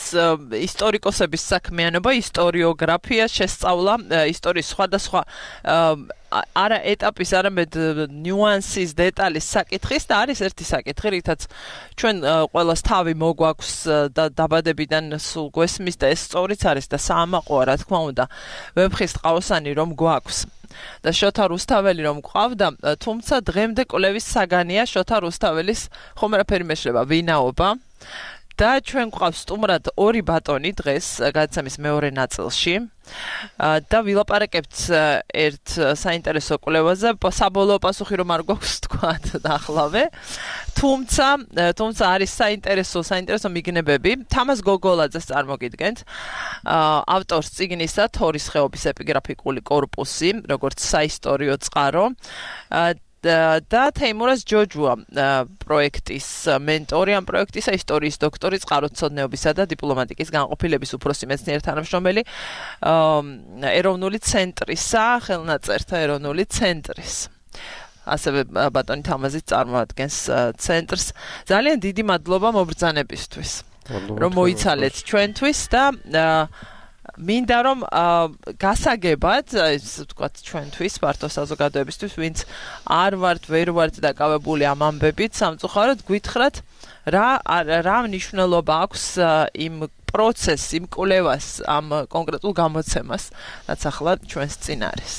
ისტორიკოსების საქმიანობა, ისტორიოგრაფია, შესწავლა ისტორიის სხვადასხვა არა ეტაპის, არამედ ნიუანსის, დეტალის საკითხის და არის ერთი საკითხი, რითაც ჩვენ ყველას თავი მოგვაქვს და დაბადებიდან სულ გვესმის და ეს სწორიც არის და საამაყოა, რა თქმა უნდა, ვეფხის ტყავსანი რომ გვაქვს. და შოთა რუსთაველი რომ გვყავდა, თუმცა დღემდე კვლევის საგანია შოთა რუსთაველის ხომ არაფერი მეშლება ვინაობა. და ჩვენ გვყავს სტუმრად 2 ბატონი დღეს გადაცემის მეორე ნაწილში და ვილაპარაკებთ ერთ საინტერესო კვლევაზე, საბოლოო პასუხი რომ არ გვაქვს თქვათ ახლავე, თუმცა არის საინტერესო მიგნებები. თამაზ გოგოლაძეს წარმოგიდგენთ, ავტორს წიგნისა თორის ხეობის ეპიგრაფიკული კორპუსი, როგორც საისტორიო წყარო, და თეიმურაზ ჯოჯუა პროექტის მენტორი, ამ პროექტისა ისტორიის დოქტორი, წყაროთმცოდნეობისა და დიპლომატიკის განყოფილების უფროსი მეცნიერ თანამშრომელი ეროვნული ცენტრისა, ხელნაწერთა ეროვნული ცენტრის. ასევე ბატონი თამაზი წარმოადგენს ცენტრს. ძალიან დიდი მადლობა მობრძანებისთვის, რომ მოიცალეთ ჩვენთვის და მინდა რომ გასაგებად, ეს ვთქვათ ჩვენთვის, ფართო საზოგადოებისთვის, ვინც ვერ ვართ დაკავებული ამ ამბებით, სამწუხაროდ გვითხრათ, რა მნიშვნელობა აქვს იმ პროცესს, იმ კვლევას, ამ კონკრეტულ გამოცემას, რაც ახლა ჩვენს წინ არის.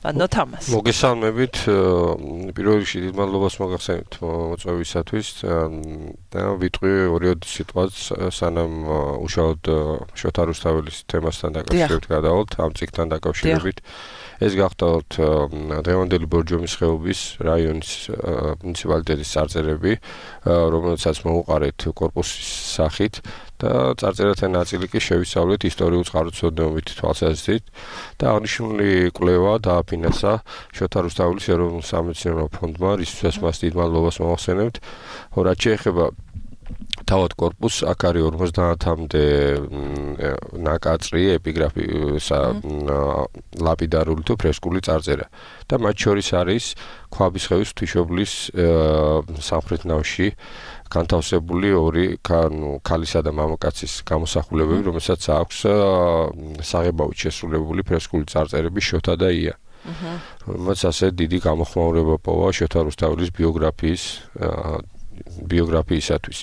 თამას. მოგესალმებით, პირველ რიგში დიდ მადლობას მოგახსენებთ მოწვევისათვის და ვიტყვი 2 სიტყვას, სანამ უშუალოდ შოთა რუსთაველის თემასთან დაკავშირებით გადავალთ, ამ წიგნთან დაკავშირებით. ეს გახდათ დღევანდელი ბორჯომის ხეობის რაიონის მუნიციპალიტეტის წარწერები, რომელსაც მოუყარეთ კორპუსის სახით და წარწერათა ნაწილი კი შევისწავლეთ ისტორიულ წყაროთმცოდნეობით თვალსაზრისით და აღნიშნული კვლევა დააფინანსა შოთა რუსთაველის ეროვნულ სამეცნიერო ფონდმა, რისთვისაც მას დიდ მადლობას მოვახსენებთ. რაც შეეხება თავად კორპუსს, აქ არის 50-მდე ნაკაწრი ეპიგრაფისა ლაპიდარული თუ ფრესკული წარწერა და მათ შორის არის ქვაბის ხევის ღვთისმშობლის სამხრეთ ნავში განთავსებული 2 ქალისა და მამაკაცის გამოსახულებები, რომელსაც აქვს საღებავით შესრულებული ფრესკული წარწერები შოთა და ია. რომელსაც ასე დიდი გამოხმაურება პოვა შოთა რუსთაველის ბიოგრაფიისათვის.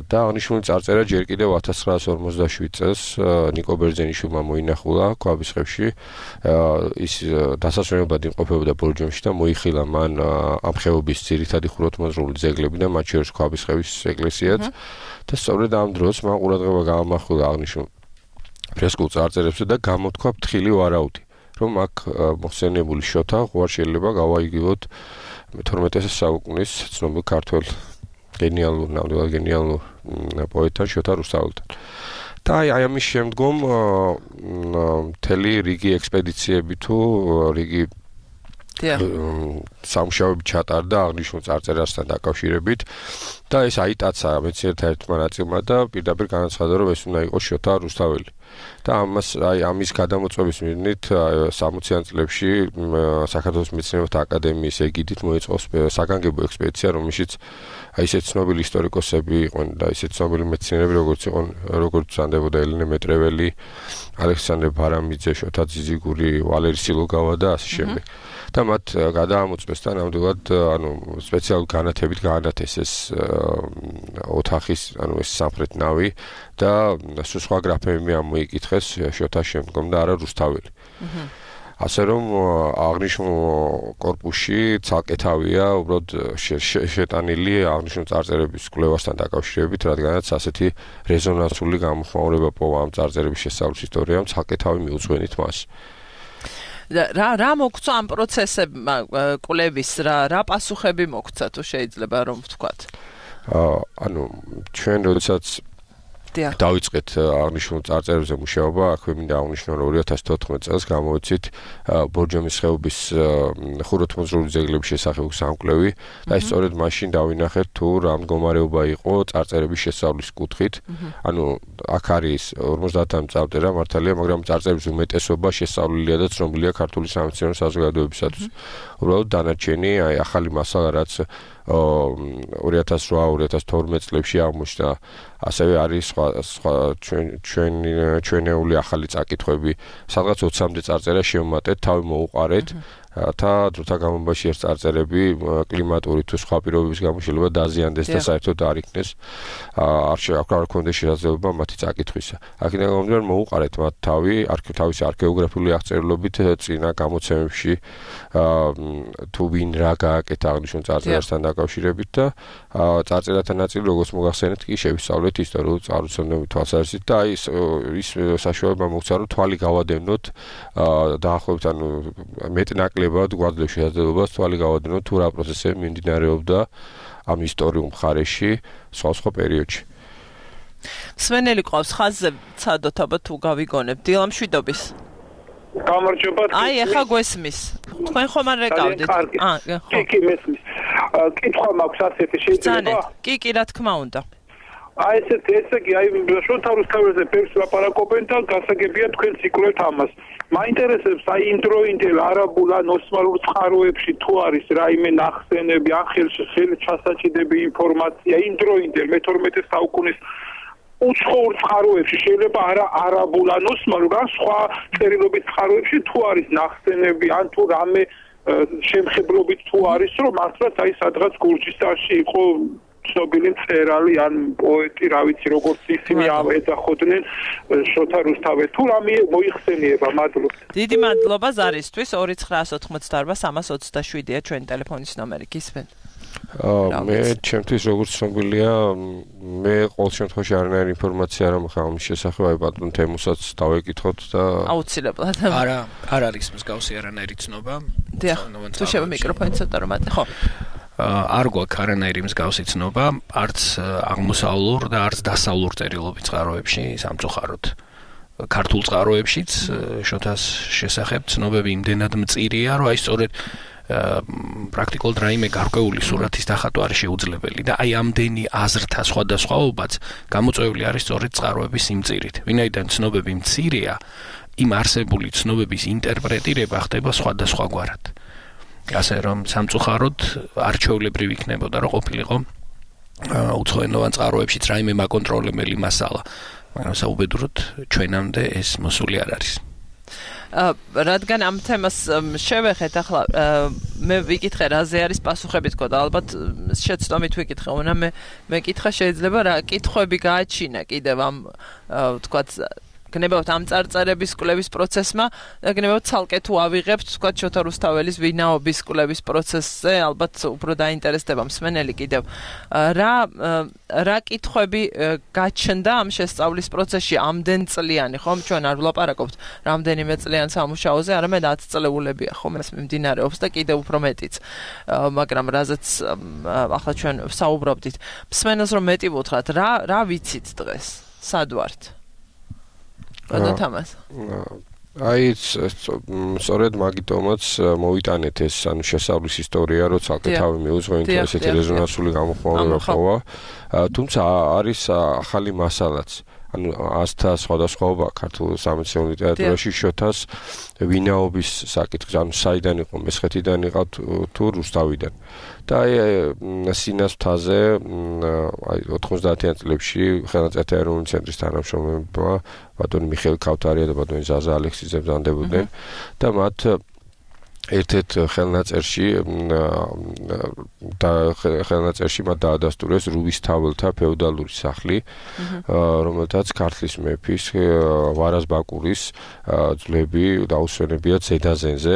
და აღნიშნული წარწერა ჯერ კიდევ 1947 წელს ნიკო ბერძენიშვილმა მოინახულა ქვაბის ხევში. ის დასასვენებლად იმყოფებოდა ბორჯომში და მოიხილა მან ამ ხეობის ძირითადი ხუროთმოძღვრული ძეგლები და მათ შორის ქვაბის ხევის ეკლესიაც. და სწორედ ამ დროს მან ყურადღება გაამახვილა აღნიშნულ ფრესკულ წარწერებზე და გამოთქვა ფრთხილი ვარაუდი, რომ აქ მოხსენებული შოთა ღوار შეიძლება გავაიგივოთ 12 საუკუნის ცნობილ ქართველ ნამდვილად გენიალურ პოეტთან შოთა რუსთაველთან. და აი ამის შემდგომ მთელი რიგი ექსპედიციები თუ რიგი სამუშაოები ჩატარდა აღნიშნულ წარწერასთან დაკავშირებით და ეს აიტაცა მეცნიერთა ერთმა ნაწილმა და პირდაპირ განაცხადა, რომ ეს უნდა იყოს შოთა რუსთაველი. და ამის გადამოწვევის მიზნით 60-იან წლებში საქართველოს მეცნიერებათა აკადემიის ეგიდით მოეწყო საგანგებო ექსპედიცია, რომელშიც ისეთ ცნობილი ისტორიკოსები იყვნენ და ისეთ ცნობილი მეცნიერები, როგორც ანდებოდა ელენე მეტრეველი, ალექსანდრე ბარამიძე, შოთა ძიზიგური, ვალერი სილოგავა და ასე შემდეგ. და მათ გადაამოწმეს და ნამდვილად სპეციალური განათებით გაანათეს ეს ოთახის, ეს სამხრეთ ნავი და სხვა გრაფები ამოიკითხეს შოთას შემდგომ და არა რუსთაველი. ასე რომ აღნიშნულ კორპუსში ცალკე თავია უბრალოდ შეტანილი აღნიშნულ წარწერების კვლევასთან დაკავშირებით, რადგანაც ასეთი რეზონანსული გამოხმაურება პოვა ამ წარწერების შესწავლის ისტორიამ, ცალკე თავი მიუძღვენით მას. რა მოგწვა ამ პროცესებმა კვლევის, რა პასუხები მოგწვა თუ შეიძლება რომ ვთქვათ? ჩვენ როდესაც დავიწყეთ აღნიშნულ წარწერებზე მუშაობა, აქვე მინდა აღნიშნო, რომ 2014 წელს გამოვიცით ბორჯომის ხეობის ხუროთმოძღვრული ძეგლების შესახებ სამკვლევი და ის სწორედ მაშინ დავინახეთ თუ რა მდგომარეობა იყო წარწერების შესწავლის კუთხით. ანუ აქ არის 50 წარწერა მართალია, მაგრამ წარწერების უმეტესობა შესწავლილია და ცნობილია ქართული სამეცნიერო საზოგადოებისათვის. უბრალოდ დანარჩენი აი ახალი მასალა რაც 2008-2012 წლებში აღმოჩნდა, ასევე არის სხვა ჩვენეული ახალი წაკითხვები, სადღაც 20-მდე წარწერა შევმატეთ, თავი მოუყარეთ და დროთა განმავლობაში ეს წარწერები კლიმატური თუ სხვა პირობების გამო შეიძლება დაზიანდეს და საერთოდ არ იქნეს არ ქონდეს შესაძლებლობა მათი წაკითხვისა. აქედან გამომდინარე მოუყარეთ მათ თავისი არქეოგრაფიული აღწერილობით წინა გამოცემებში თუ ვინ რა გააკეთა აღნიშნულ წარწერასთან დაკავშირებით და წარწერათა ნაწილი როგორც მოგახსენეთ კი შევისწავლეთ ისტორიულ წყაროწმენდების თვალსაზრისით და აი ის საშუალება მოგცა რომ თვალი გავადევნოთ დაახლოებით ანუ მეტნაკლებად გვაძლევს შესაძლებლობას თვალი გავადევნოთ თუ რა პროცესები მიმდინარეობდა ამ ისტორიულ მხარეში სხვა პერიოდში. სვენელი ყავს ხაზზე ცადოთ აბა თუ გავიგონებ დილამშვიდობის. გამარჯობა. აი ახლა გვესმის. თქვენ ხომ არ რეკავდით? კი მესმის. კითხვა მაქვს ასეთი შეიძლება? კი რა თქმა უნდა. აი ესე იგი აი შოთა რუსთაველზე ბევრს ლაპარაკობენ და გასაგებია თქვენ ციკლეთ ამას. მაინტერესებს აი იმ დროინდელ არაბულ ან ოსმალურ წყაროებში თუ არის რაიმე ნახსენები, ან ხელჩასაჭიდები ინფორმაცია იმ დროინდელ მე-12 საუკუნის უცხოურ წყაროებში შეიძლება არა არაბულ ან ოსმალურ ან სხვა წერილობით წყაროებში თუ არის ნახსენები ან თუ რამე შემხებლობით თუ არის რომ მართლაც აი სადღაც გურჯისტანში იყო ცნობილი მწერალი ან პოეტი, რა ვიცი, როგორც ისინი ეძახოდნენ შოთა რუსთაველს. თუ რამე მოიხსენიება, მადლობთ. დიდი მადლობა ზარისთვის 2988-327-ია ჩვენი ტელეფონის ნომერი. გისმენთ. მე ჩემთვის როგორც ცნობილია, მე ყოველ შემთხვევაში არანაირი ინფორმაცია არ მაქვს ამის შესახებ, აი ბატონ თემუსაც დავეკითხოთ და აუცილებლად. არ არის მსგავსი არანაირი ცნობა. თუ შევა მიკროფონი ცოტა რომ ატე, ხო. არ გვაქვს არანაირი მსგავსი ცნობა, არც აღმოსავლურ და არც დასავლურ წერილობით წყაროებში სამწუხაროდ. ქართულ წყაროებშიც შოთას შესახებ ცნობები იმდენად მწირია, რომ აი სწორედ პრაქტიკულად რაიმე გარკვეული სურათის დახატვა არის შეუძლებელი და აი ამდენი აზრთა სხვადასხვაობაც გამოწვეული არის სწორედ წყაროების სიმწირით. ვინაიდან ცნობები მცირეა, იმ არსებული ცნობების ინტერპრეტირება ხდება სხვადასხვაგვარად. ასე რომ სამწუხაროდ არჩეულებრივი იქნებოდა რომ ყოფილიყო უცხოენოვან წყაროებშიც რაიმე მაკონტროლებელი მასალა, მაგრამ საუბედუროდ ჩვენამდე ეს მოსული არ არის. რადგან ამ თემას შევეხეთ ახლა მე ვიკითხე რაზე არის პასუხები თქო და ალბათ შეცდომით ვიკითხე უნდა მე კითხა შეიძლება რა კითხვები გააჩინა კიდევ ამ თქვათ გნებავთ ამ წარწერების კვლევის პროცესმა და გნებავთ ცალკე თუ ავიღებთ თქვათ შოთა რუსთაველის ვინაობის კვლევის პროცესზე ალბათ უფრო დაინტერესდება მსმენელი კიდევ რა კითხვები გაჩნდა ამ შესწავლის პროცესში ამდენ წლიანი ხომ ჩვენ არ ვლაპარაკობთ რამდენიმე წლიან სამუშაოზე არამედ 10 წლეულებია ხომ ეს მიმდინარეობს და კიდევ უფრო მეტიც მაგრამ რაზეც ახლა ჩვენ საუბრობდით მსმენელს რომ მეტი ვუთხრათ რა ვიცით დღეს სად ვართ აი სწორედ მაგიტომაც მოვიტანეთ ეს ანუ შესავლის ისტორია რომ ცალკე თავი მიუძღვე იმიტომ ესეთი რეზონანსული გამოხმაურება ხოვა თუმცა არის ახალი მასალაც ანუ ასთა სხვადასხვაობა ქართულ სამეცნიერო ლიტერატურაში შოთას ვინაობის საკითხი ანუ საიდან იყო მესხეთიდან იყო თუ რუსთავიდან და აი სინასთაზე აი 90-იან წლებში ხელნაწერთა ეროვნული ცენტრის თანამშრომლებმა ბატონი მიხეილ ქავთარია და ბატონი ზაზა ალექსიძე ბრძანდებოდნენ და მათ ერთ-ერთ ხელნაწერში მათ დაადასტურეს რუვისთაველთა ფეოდალური სახლი, რომელთაც ქართლის მეფის ვარაზ ბაკურის ძვლები დაუსვენებიათ ზედაზენზე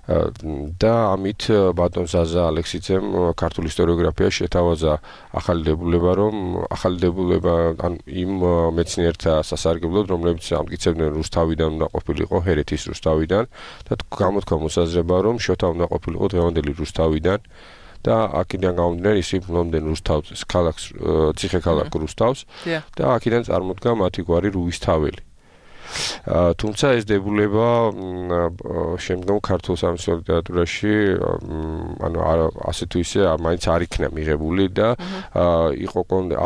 და ამით ბატონ ზაზა ალექსიძემ ქართულ ისტორიოგრაფიაში შეთავაზა ახალი დებულება ან იმ მეცნიერთა სასარგებლოდ რომლებიც ამტკიცებდნენ რუსთავიდან უნდა ყოფილიყო ჰერეთის რუსთავიდან და გამოთქვა მოსაზრება რომ შოთა უნდა ყოფილიყო დღევანდელი რუსთავიდან და აქედან გამომდინარე ისინი ფლობდნენ რუსთავის ქალაქს, ციხე-ქალაქ რუსთავს და აქედან წარმოდგა მათი გვარი რუისთაველი. თუმცა ეს დებულება შემდგომ ქართულ სამეცნიერო ლიტერატურაში ანუ ასე თუ ისე მაინც არ იქნა მიღებული და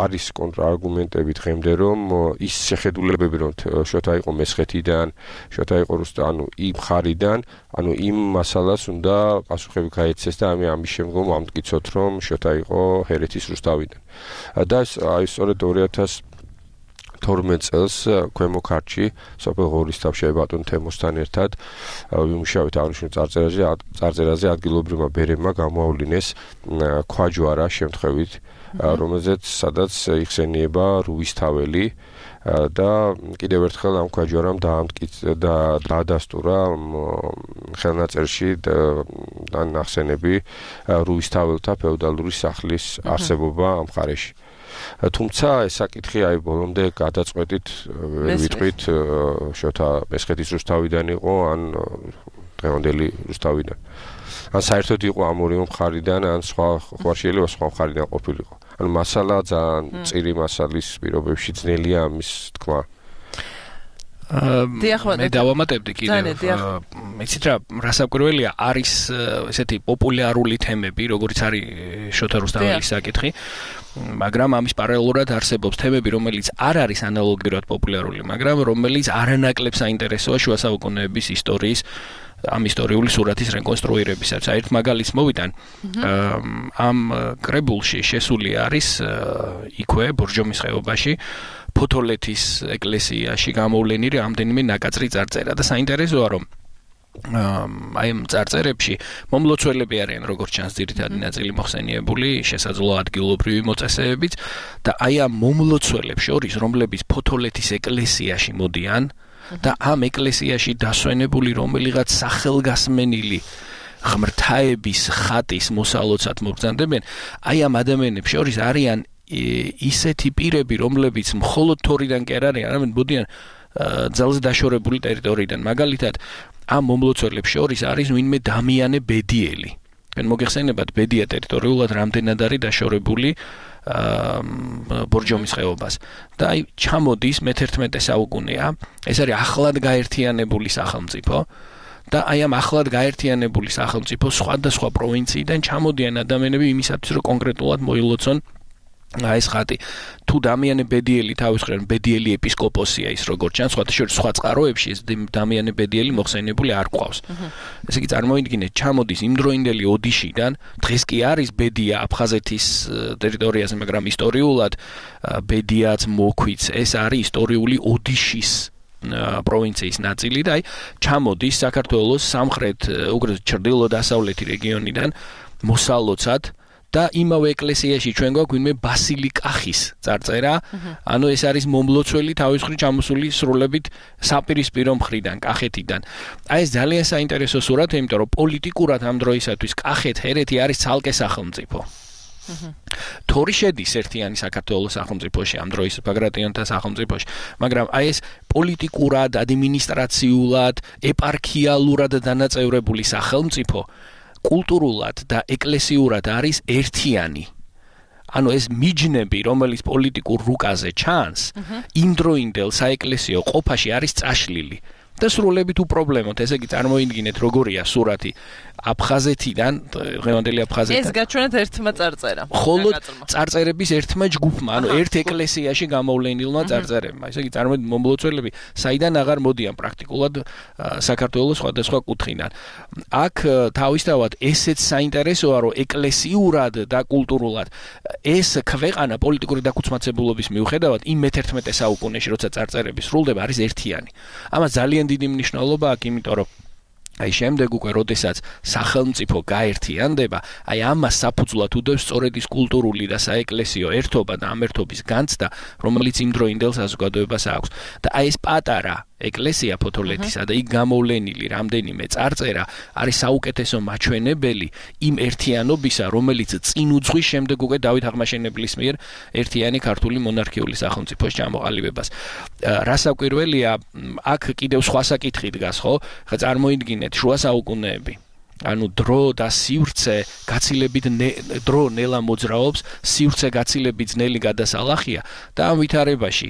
არის კონტრარგუმენტები დღემდე რომ ის შეხედულებები რომ შოთა იყო მესხეთიდან, შოთა იყო ანუ იმ ხარიდან, ანუ იმ მასალას უნდა პასუხები გაეცეს და ამის შემდგომ ამტკიცოთ რომ შოთა იყო ჰერეთის რუსთავიდან. და აი სწორედ 2012 წელს ქვემო ქართლში სოფელ ღორისთავში ბატონ თემოსთან ერთად ვიმუშავეთ აღნიშნულ წარწერაზე ადგილობრივმა ბერებმა გამოავლინეს ქვაჯვარა შემთხვევით რომელზეც სადაც იხსენიება რუისთაველი და კიდევ ერთხელ ამ ქვაჯვარამ დაადასტურა ხელნაწერში და ნახსენები რუისთაველთა ფეოდალური სახლის არსებობა ამ მხარეში. თუმცა ეს საკითხი აი ბოლომდე გადაწყვეტით ვერ ვიტყვით შოთა მესხეთის რუსთავიდან იყო ან დღევანდელი რუსთავიდან. ან საერთოდ იყო ამ ორივე მხარიდან ან სხვა ხوارშიელი სხვა მხარიდან ყოფილიყო. ანუ მასალა ძალიან წირი მასალის პირობებში ძნელია ამის თქვა. მე დავამატებდი კიდევ. მეცით რა რასაკვირველია არის ესეთი პოპულარული თემები, როგორც არის შოთა რუსთაველის საკითხი, მაგრამ ამის პარალელურად არსებობს თემები, რომელიც არ არის ანალოგიურად პოპულარული, მაგრამ რომელიც არანაკლებ საინტერესოა შუა საუკუნეების ისტორიის ამ ისტორიული სურათის რეკონსტრუირებისას. ერთ მაგალითს მოვიტან, ამ კრებულში შესული არის იქვე ბორჯომის ხეობაში ფოთოლეთის ეკლესიაში გამოვლენილი რამდენიმე ნაკაწრი წარწერა და საინტერესოა რომ აი ამ წარწერებში მომლოცველები არიან როგორც ჩანს ძირითადი ნაწილი მოხსენიებული შესაძლოა ადგილობრივი მოწესეებიც და აი ამ მომლოცველებს შორის რომლებიც ფოთოლეთის ეკლესიაში მოდიან და ამ ეკლესიაში დასვენებული რომელიღაც სახელგასმენილი ღმრთაების ხატის მოსალოცად მობრძანდებიან აი ამ ადამიანებს შორის არიან ისეთი პირები რომლებიც მხოლოდ თორიდან კი არ არიან არამედ მოდიან ძალზე დაშორებული ტერიტორიიდან მაგალითად ამ მომლოცველებს შორის არის ვინმე დამიანე ბედიელი თქვენ მოგეხსენებათ ბედია ტერიტორიულად რამდენად არის დაშორებული ბორჯომის ხეობას და აი ჩამოდის მე-11 საუკუნეა ეს არის ახლად გაერთიანებული სახელმწიფო და აი ამ ახლად გაერთიანებული სახელმწიფოს სხვადასხვა პროვინციიდან ჩამოდიან ადამიანები იმისათვის რომ კონკრეტულად მოილოცონ ეს ხატი თუ დამიანე ბედიელი თავის მხრივ ბედიელი ეპისკოპოსია ის როგორც ჩანს სხვა წყაროებში ეს დამიანე ბედიელი მოხსენიებული არ ყავს ესე იგი წარმოიდგინეთ ჩამოდის იმდროინდელი ოდიშიდან დღეს კი არის ბედია აფხაზეთის ტერიტორიაზე მაგრამ ისტორიულად ბედიაც მოქვიც ეს არის ისტორიული ოდიშის პროვინციის ნაწილი და აი ჩამოდის საქართველოს სამხრეთ უგრეს ჩრდილო-დასავლეთი რეგიონიდან მოსალოცად და იმავე ეკლესიაში ჩვენ გვაქვს ვინმე ბასილი კახის წარწერა, ანუ ეს არის მომლოცველი თავის მხრივ ჩამოსული სრულებით საპირისპირო მხრიდან, კახეთიდან. აი ეს ძალიან საინტერესო სურათია, იმიტომ რომ პოლიტიკურად ამ დროისათვის კახეთ-ჰერეთი არის ცალკე სახელმწიფო. თორი შედის ერთიანი საქართველოს სახელმწიფოში ამ დროის ბაგრატიონთა სახელმწიფოში, მაგრამ აი ეს პოლიტიკურად, ადმინისტრაციულად, ეპარქიალურად დანაწევრებული სახელმწიფო კულტურულად და ეკლესიურად არის ერთიანი. ანუ ეს მიჯნები, რომელიც პოლიტიკურ რუკაზე ჩანს, იმდროინდელ საეკლესიო ყოფაში არის წაშლილი. და სრულებით უპრობლემოდ, ესე იგი წარმოიდგინეთ როგორია სურათი აფხაზეთიდან, დღევანდელი აფხაზეთიდან. ეს გაჩვენეთ ერთმა წარწერამ. ხოლოდ წარწერების ერთმა ჯგუფმა, ანუ ერთ ეკლესიაში გამოვლენილმა წარწერებმა. ესე იგი წარმოიდგინეთ მომლოცველები, საიდან აღარ მოდიან პრაქტიკულად საქართველოს სხვადასხვა კუთხიდან. აქ თავისთავად ესეც საინტერესოა, რომ ეკლესიურად და კულტურულად ეს ქვეყანა პოლიტიკური დაქუცმაცებულობის მიუხედავად იმ მე-11 საუკუნეში, როცა წარწერები სრულდება, არის ერთიანი. ამას ძალიან დიდი მნიშვნელობა აქვს, იმიტომ რომ აი შემდეგ უკვე როდესაც სახელმწიფო გაერთიანდება, აი ამას საფუძვლად უდევს სწორედ ის კულტურული და საეკლესიო ერთობა და ამ ერთობის განცდა, რომელიც იმ დროინდელ საზოგადოებას აქვს. და აი ეს პატარა ეკლესია ფოთოლეთისა და იქ გამოვლენილი რამდენიმე წარწერა არის საუკეთესო მაჩვენებელი იმ ერთიანობისა, რომელიც წინ უძღვის შემდეგ უკვე დავით აღმაშენებლის მიერ ერთიანი ქართული მონარქიული სახელმწიფოს ჩამოყალიბებას. რასაკვირველია, აქ კიდევ სხვა საკითხი დგას, ხო? ხა წარმოიდგინეთ შუა საუკუნეები. ანუ დრო და სივრცე გაცილებით დრო ნელა მოძრაობს, სივრცე გაცილებით ძნელი გადასალახია და ამ ვითარებაში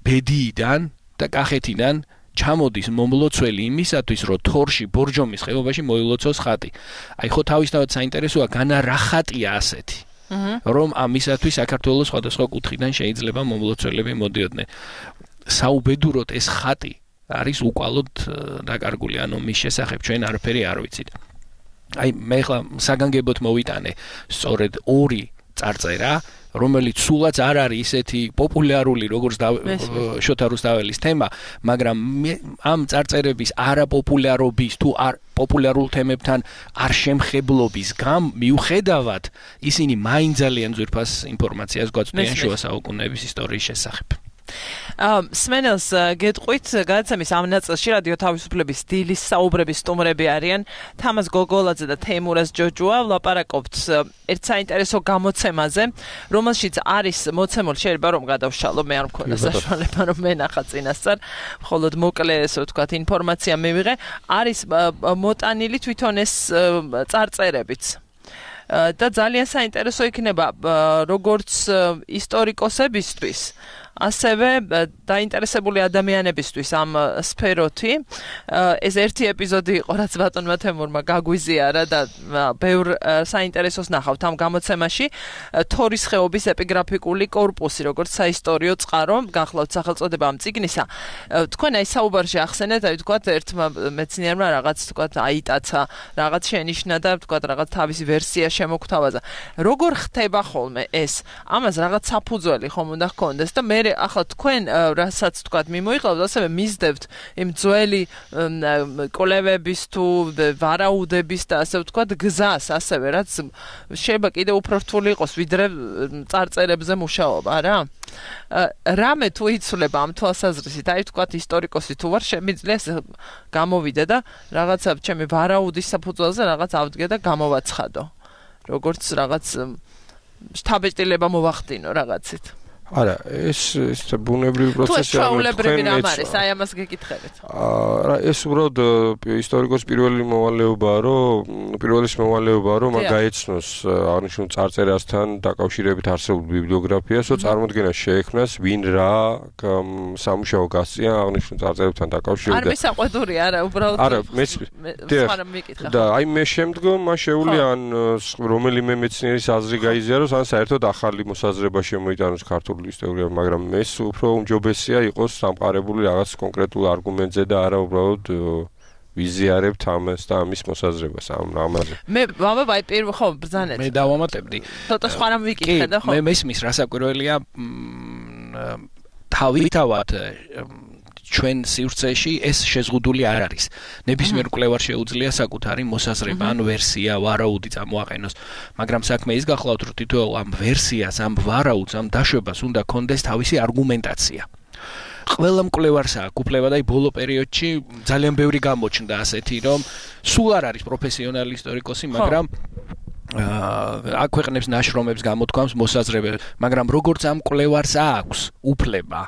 ბედიიდან და კახეთიდან ჩამოდის მომლოცველი იმისათვის, რომ თორში ბორჯომის ხეობაში მოილოცოს ხატი. აი ხო თავისთავად საინტერესოა, განა რა ხატია ასეთი. რომ ამისათვის საქართველოს სხვადასხვა კუთხიდან შეიძლება მომლოცველები მოდიოდნენ. საუბედუროდ ეს ხატი არის უკვალოდ დაკარგული, ანუ მის შესახებ ჩვენ არაფერი არ ვიცით. აი მე ხლა საგანგებოდ მოვიტანე სწორედ ორი წარწერა, რომელიც სულაც არ არის ისეთი პოპულარული, როგორც შოთა რუსთაველის თემა, მაგრამ ამ წარწერების არაპოპულარობის თუ არ პოპულარულ თემებთან არ შემხებლობის მიუხედავად, ისინი მაინც ძალიან ძვირფას ინფორმაციას გვაწვდიან შუა საუკუნეების ისტორიის შესახებ. სმენელს გეტყვით გადაცემის ამ ნაწილში რადიო თავისუფლების დილის საუბრების სტუმრები არიან თამაზ გოგოლაძე და თეიმურაზ ჯოჯუა. ვლაპარაკობთ ერთ საინტერესო გამოცემაზე, რომელშიც არის მოცემული, შეიძლება რომ გადავშალო, მე არ მქონდა საშუალება რომ მენახა წინასწარ, მხოლოდ მოკლე ესე ვთქვათ ინფორმაცია მივიღე, არის მოტანილი თვითონ ეს წარწერებიც. და ძალიან საინტერესო იქნება როგორც ისტორიკოსებისთვის, ასევე დაინტერესებული ადამიანებისთვის ამ სფეროთი. ეს ერთი ეპიზოდი იყო, რაც ბატონმა თემურმა გაგვიზიარა და ბევრ საინტერესოს ნახავთ ამ გამოცემაში. თორის ხეობის ეპიგრაფიკული კორპუსი, როგორც საისტორიო წყარო, გახლავთ სახელწოდება ამ წიგნისა. თქვენ აი საუბარში ახსენეთ, აი ვთქვათ, ერთმა მეცნიერმა რაღაც ვთქვათ აიტაცა, რაღაც შენიშნა და ვთქვათ რაღაც თავისი ვერსია შემოგთავაზა. როგორ ხდება ხოლმე ეს? ამას რაღაც საფუძველი ხომ უნდა ჰქონდეს და მე ახლა თქვენ რასაც თქვათ მიმოიყავთ, ასევე მისდევთ იმ ძველი კოლევების თუ ვარაუდების და ასე ვთქვათ გზას, ასევე რაც შეიძლება კიდევ უფრო რთული იყოს ვიდრე წარწერებზე მუშაობა რა. რამე თუ იცვლება ამ თვალსაზრისით, აი ვთქვათ ისტორიკოსი თუ ვარ, შემიძლია გამოვიდე და რაღაცა ჩემი ვარაუდის საფუძველზე რაღაც ავდგე და გამოვაცხადო. როგორც რაღაც შთაბეჭდილება მოვახდინო რაღაცით. არა, ეს ბუნებრივი პროცესი არის, აი ამას გეკითხებით. ეს უბრალოდ ისტორიკოს პირველი მოვალეობაა, რომ მაგ გაეცნოს აღნიშნულ წარწერასთან დაკავშირებით არსებულ ბიბლიოგრაფიას, რომ წარმოდგენა შეექმნას, ვინ რა სამუშაო გასწია აღნიშნულ წარწერებთან დაკავშირებით. არ მისაყვედური არა, უბრალოდ არა, და აი მე შემდგომ მას შეუძლია ან რომელიმე მეცნიერის აზრი გაიზიაროს, ან საერთოდ ახალი მოსაზრება შემოიტანოს ქართულ ისტორია, მაგრამ ეს უფრო უმჯობესია იყოს სამყარებული რაღაც კონკრეტულ არგუმენტზე და არა უბრალოდ ვიზიარებთ ამას და ამის მოსაზრებას ამაზე. მე აი პირველ ხო ბრძანეთ. მე დავამატებდი. ცოტა სხვა რამ ვიკითხე და ხო. მე მესმის რასაკვირველია თავისთავად ჩვენ სივრცეში ეს შეზღუდული არ არის. ნებისმიერ კვლევარ შეუძლია საკუთარი მოსაზრება ან ვერსია, ვარაუდი წამოაყენოს, მაგრამ საქმე ის გახლავთ, რომ თითოეულ ამ ვერსიას, ამ ვარაუდს, ამ დაშვებას უნდა კონდეს თავისი არგუმენტაცია. ყველა მკვლევარს აქვს უფლება და ბოლო პერიოდში ძალიან ბევრი გამოჩნდა ასეთი, რომ სულ არ არის პროფესიონალი ისტორიკოსი, მაგრამ აქვეყნებს ნაშრომებს, გამოთქვამს მოსაზრებებს, მაგრამ როგორც ამ მკვლევარს აქვს უფლება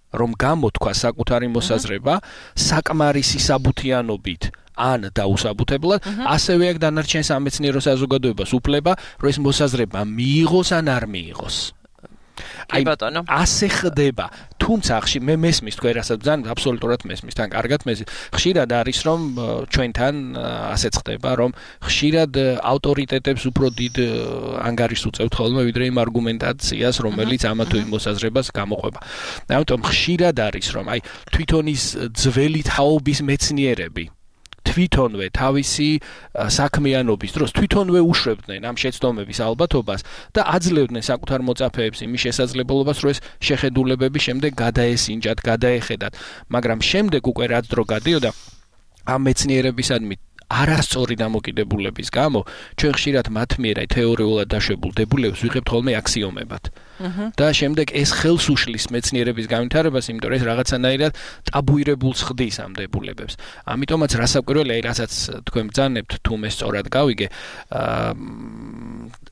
რომ გამოთქვა საკუთარი მოსაზრება საკმარისი საბუთიანობით ან დაუსაბუთებლად, ასევე აქ დანარჩენ სამეცნიერო საზოგადოებას უფლება, რომ ეს მოსაზრება მიიღოს ან არ მიიღოს. აი ბატონო. ასე ხდება. თუმცა მე მესმის თქვენ რასაც ბრძანებთ, აბსოლუტურად მესმის, თან კარგად მესმის. ხშირად არის რომ ჩვენთან ასეც ხდება, რომ ხშირად ავტორიტეტებს უფრო დიდ ანგარიშს უწევთ ხოლმე ვიდრე იმ არგუმენტაციას, რომელიც ამა თუ იმ მოსაზრებას გამოყვება. ამიტომ ხშირად არის რომ აი თვითონ ის ძველი თაობის მეცნიერები თვითონვე თავისი საქმიანობის დროს თვითონვე უშვებდნენ ამ შეცდომების ალბათობას და აძლევდნენ საკუთარ მოწაფეებს იმის შესაძლებლობას, რომ ეს შეხედულებები შემდეგ გადაესინჯათ, გადაეხედათ, მაგრამ შემდეგ უკვე რაც დრო გადიოდა ამ მეცნიერებისადმი არასწორი დამოკიდებულების გამო ჩვენ ხშირად მათ მიერ აი თეორიულად დაშვებულ დებულებს ვიღებთ ხოლმე აქსიომებად. და შემდეგ ეს ხელს უშლის მეცნიერების განვითარებას, იმიტომ რომ ეს რაღაცანაირად ტაბუირებულს ხდის ამ დებულებებს. ამიტომაც რასაკვირველია, აი რასაც თქვენ ბრძანებთ, თუ მე სწორად გავიგე,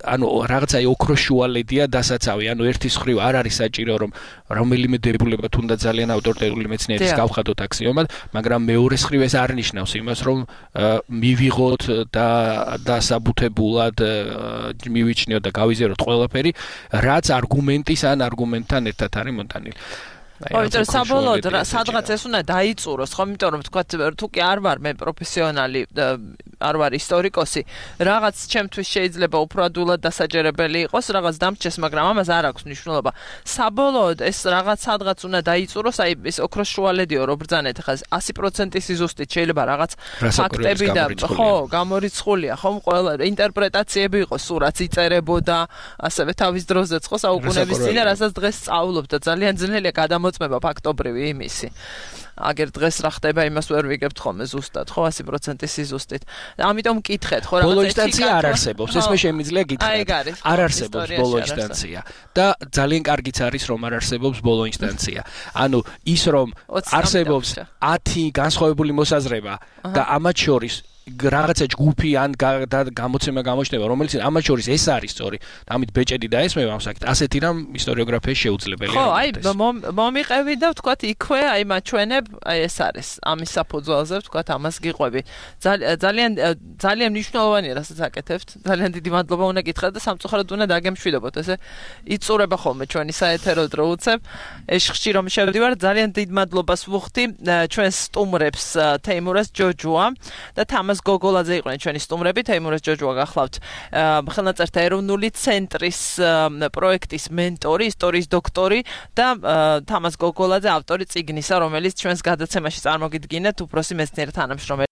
ანუ რაღაცა ოქროს შუალედია დასაცავი, ანუ ერთის მხრივ არ არის საჭირო რომ რომელიმე დებულება თუნდაც ძალიან ავტორიტეტული მეცნიერის გავხადოთ აქსიომად, მაგრამ მეორეს მხრივ ეს არ ნიშნავს იმას, რომ მივიღოთ და საბუთებულად მივიჩნიოთ და გავიზიაროთ ყველაფერი, რაც არგუმენტის ან არგუმენტთან ერთად არის მომტანილი. ოღონდ საბოლოოდ სადღაც ეს უნდა დაიწუროს, ხო, იმიტომ რომ თქვა თუ კი არ ვარ მე პროფესიონალი, არ ვარ ისტორიკოსი, რაღაც ჩემთვის შეიძლება უფრო ადვილად დასაჯერებელი იყოს, რაღაც დამრჩეს, მაგრამ ამას არ აქვს მნიშვნელობა. საბოლოოდ ეს რაღაც სადღაც უნდა დაიწუროს, აი ეს ოქროს შუალედიო რო ბრძანეთ, ხა 100% ზუსტით შეიძლება რაღაც ფაქტები და ხო, გამორიცხულია, ხო, ყველა ინტერპრეტაციები იყოს, სულ რაც იწერებოდა, ასევე თავის დროზეც ხო საუკუნეების წინ, რასაც დღეს სწავლობ და ძალიან ძნელია გადამოწმება ფაქტობრივი იმისი. აგერ დღეს რა ხდება, იმას ვერ ვიგებთ ხოლმე ზუსტად, ხო, 100% სიზუსტით. ამიტომ მკითხეთ, ხო, ბოლო ინსტანცია არ არსებობს, ეს მე შემიძლია გითხრათ. არ არსებობს ბოლო ინსტანცია და ძალიან კარგიც არის რომ არ არსებობს ბოლო ინსტანცია. ანუ ის რომ არსებობს 10 განსხვავებული მოსაზრება და ამათ შორის რაღაცა ჯგუფი ან გამოცემა გამოჩნდება, რომელიც ამათ შორის ეს არის სწორი. ამით ბეჭედი დაესმევა ამ საკითხს. ასეთი რამ ისტორიოგრაფიაში შეუძლებელია. ხო, აი მომიყევი და ვთქვათ იქვე, აი მაჩვენებ, აი ეს არის. ამის საფუძველზე ვთქვათ ამას გიყვები. ძალიან მნიშვნელოვანია რასაც აკეთებთ. ძალიან დიდი მადლობა უნდა გითხრათ და სამწუხაროდ უნდა დაგემშვიდობოთ. ესე იწურება ხოლმე ჩვენი საეთერო დრო უცებ. ეშხში რომ შევდივარ, ძალიან დიდ მადლობას ვუხდი ჩვენს სტუმრებს თეიმურას ჯოჯუა და თამას გოგოლაძე იყვნენ ჩვენი სტუმრები, თეიმურას ჯოჯუა გახლავთ ხელნაწერთა ეროვნული ცენტრის პროექტის მენტორი, ისტორიის დოქტორი და თამას გოგოლაძე ავტორი წიგნისა, რომელიც ჩვენს გადაცემაში წარმოგიდგინეთ, უფროსი მეცნიერი თანამშრომელი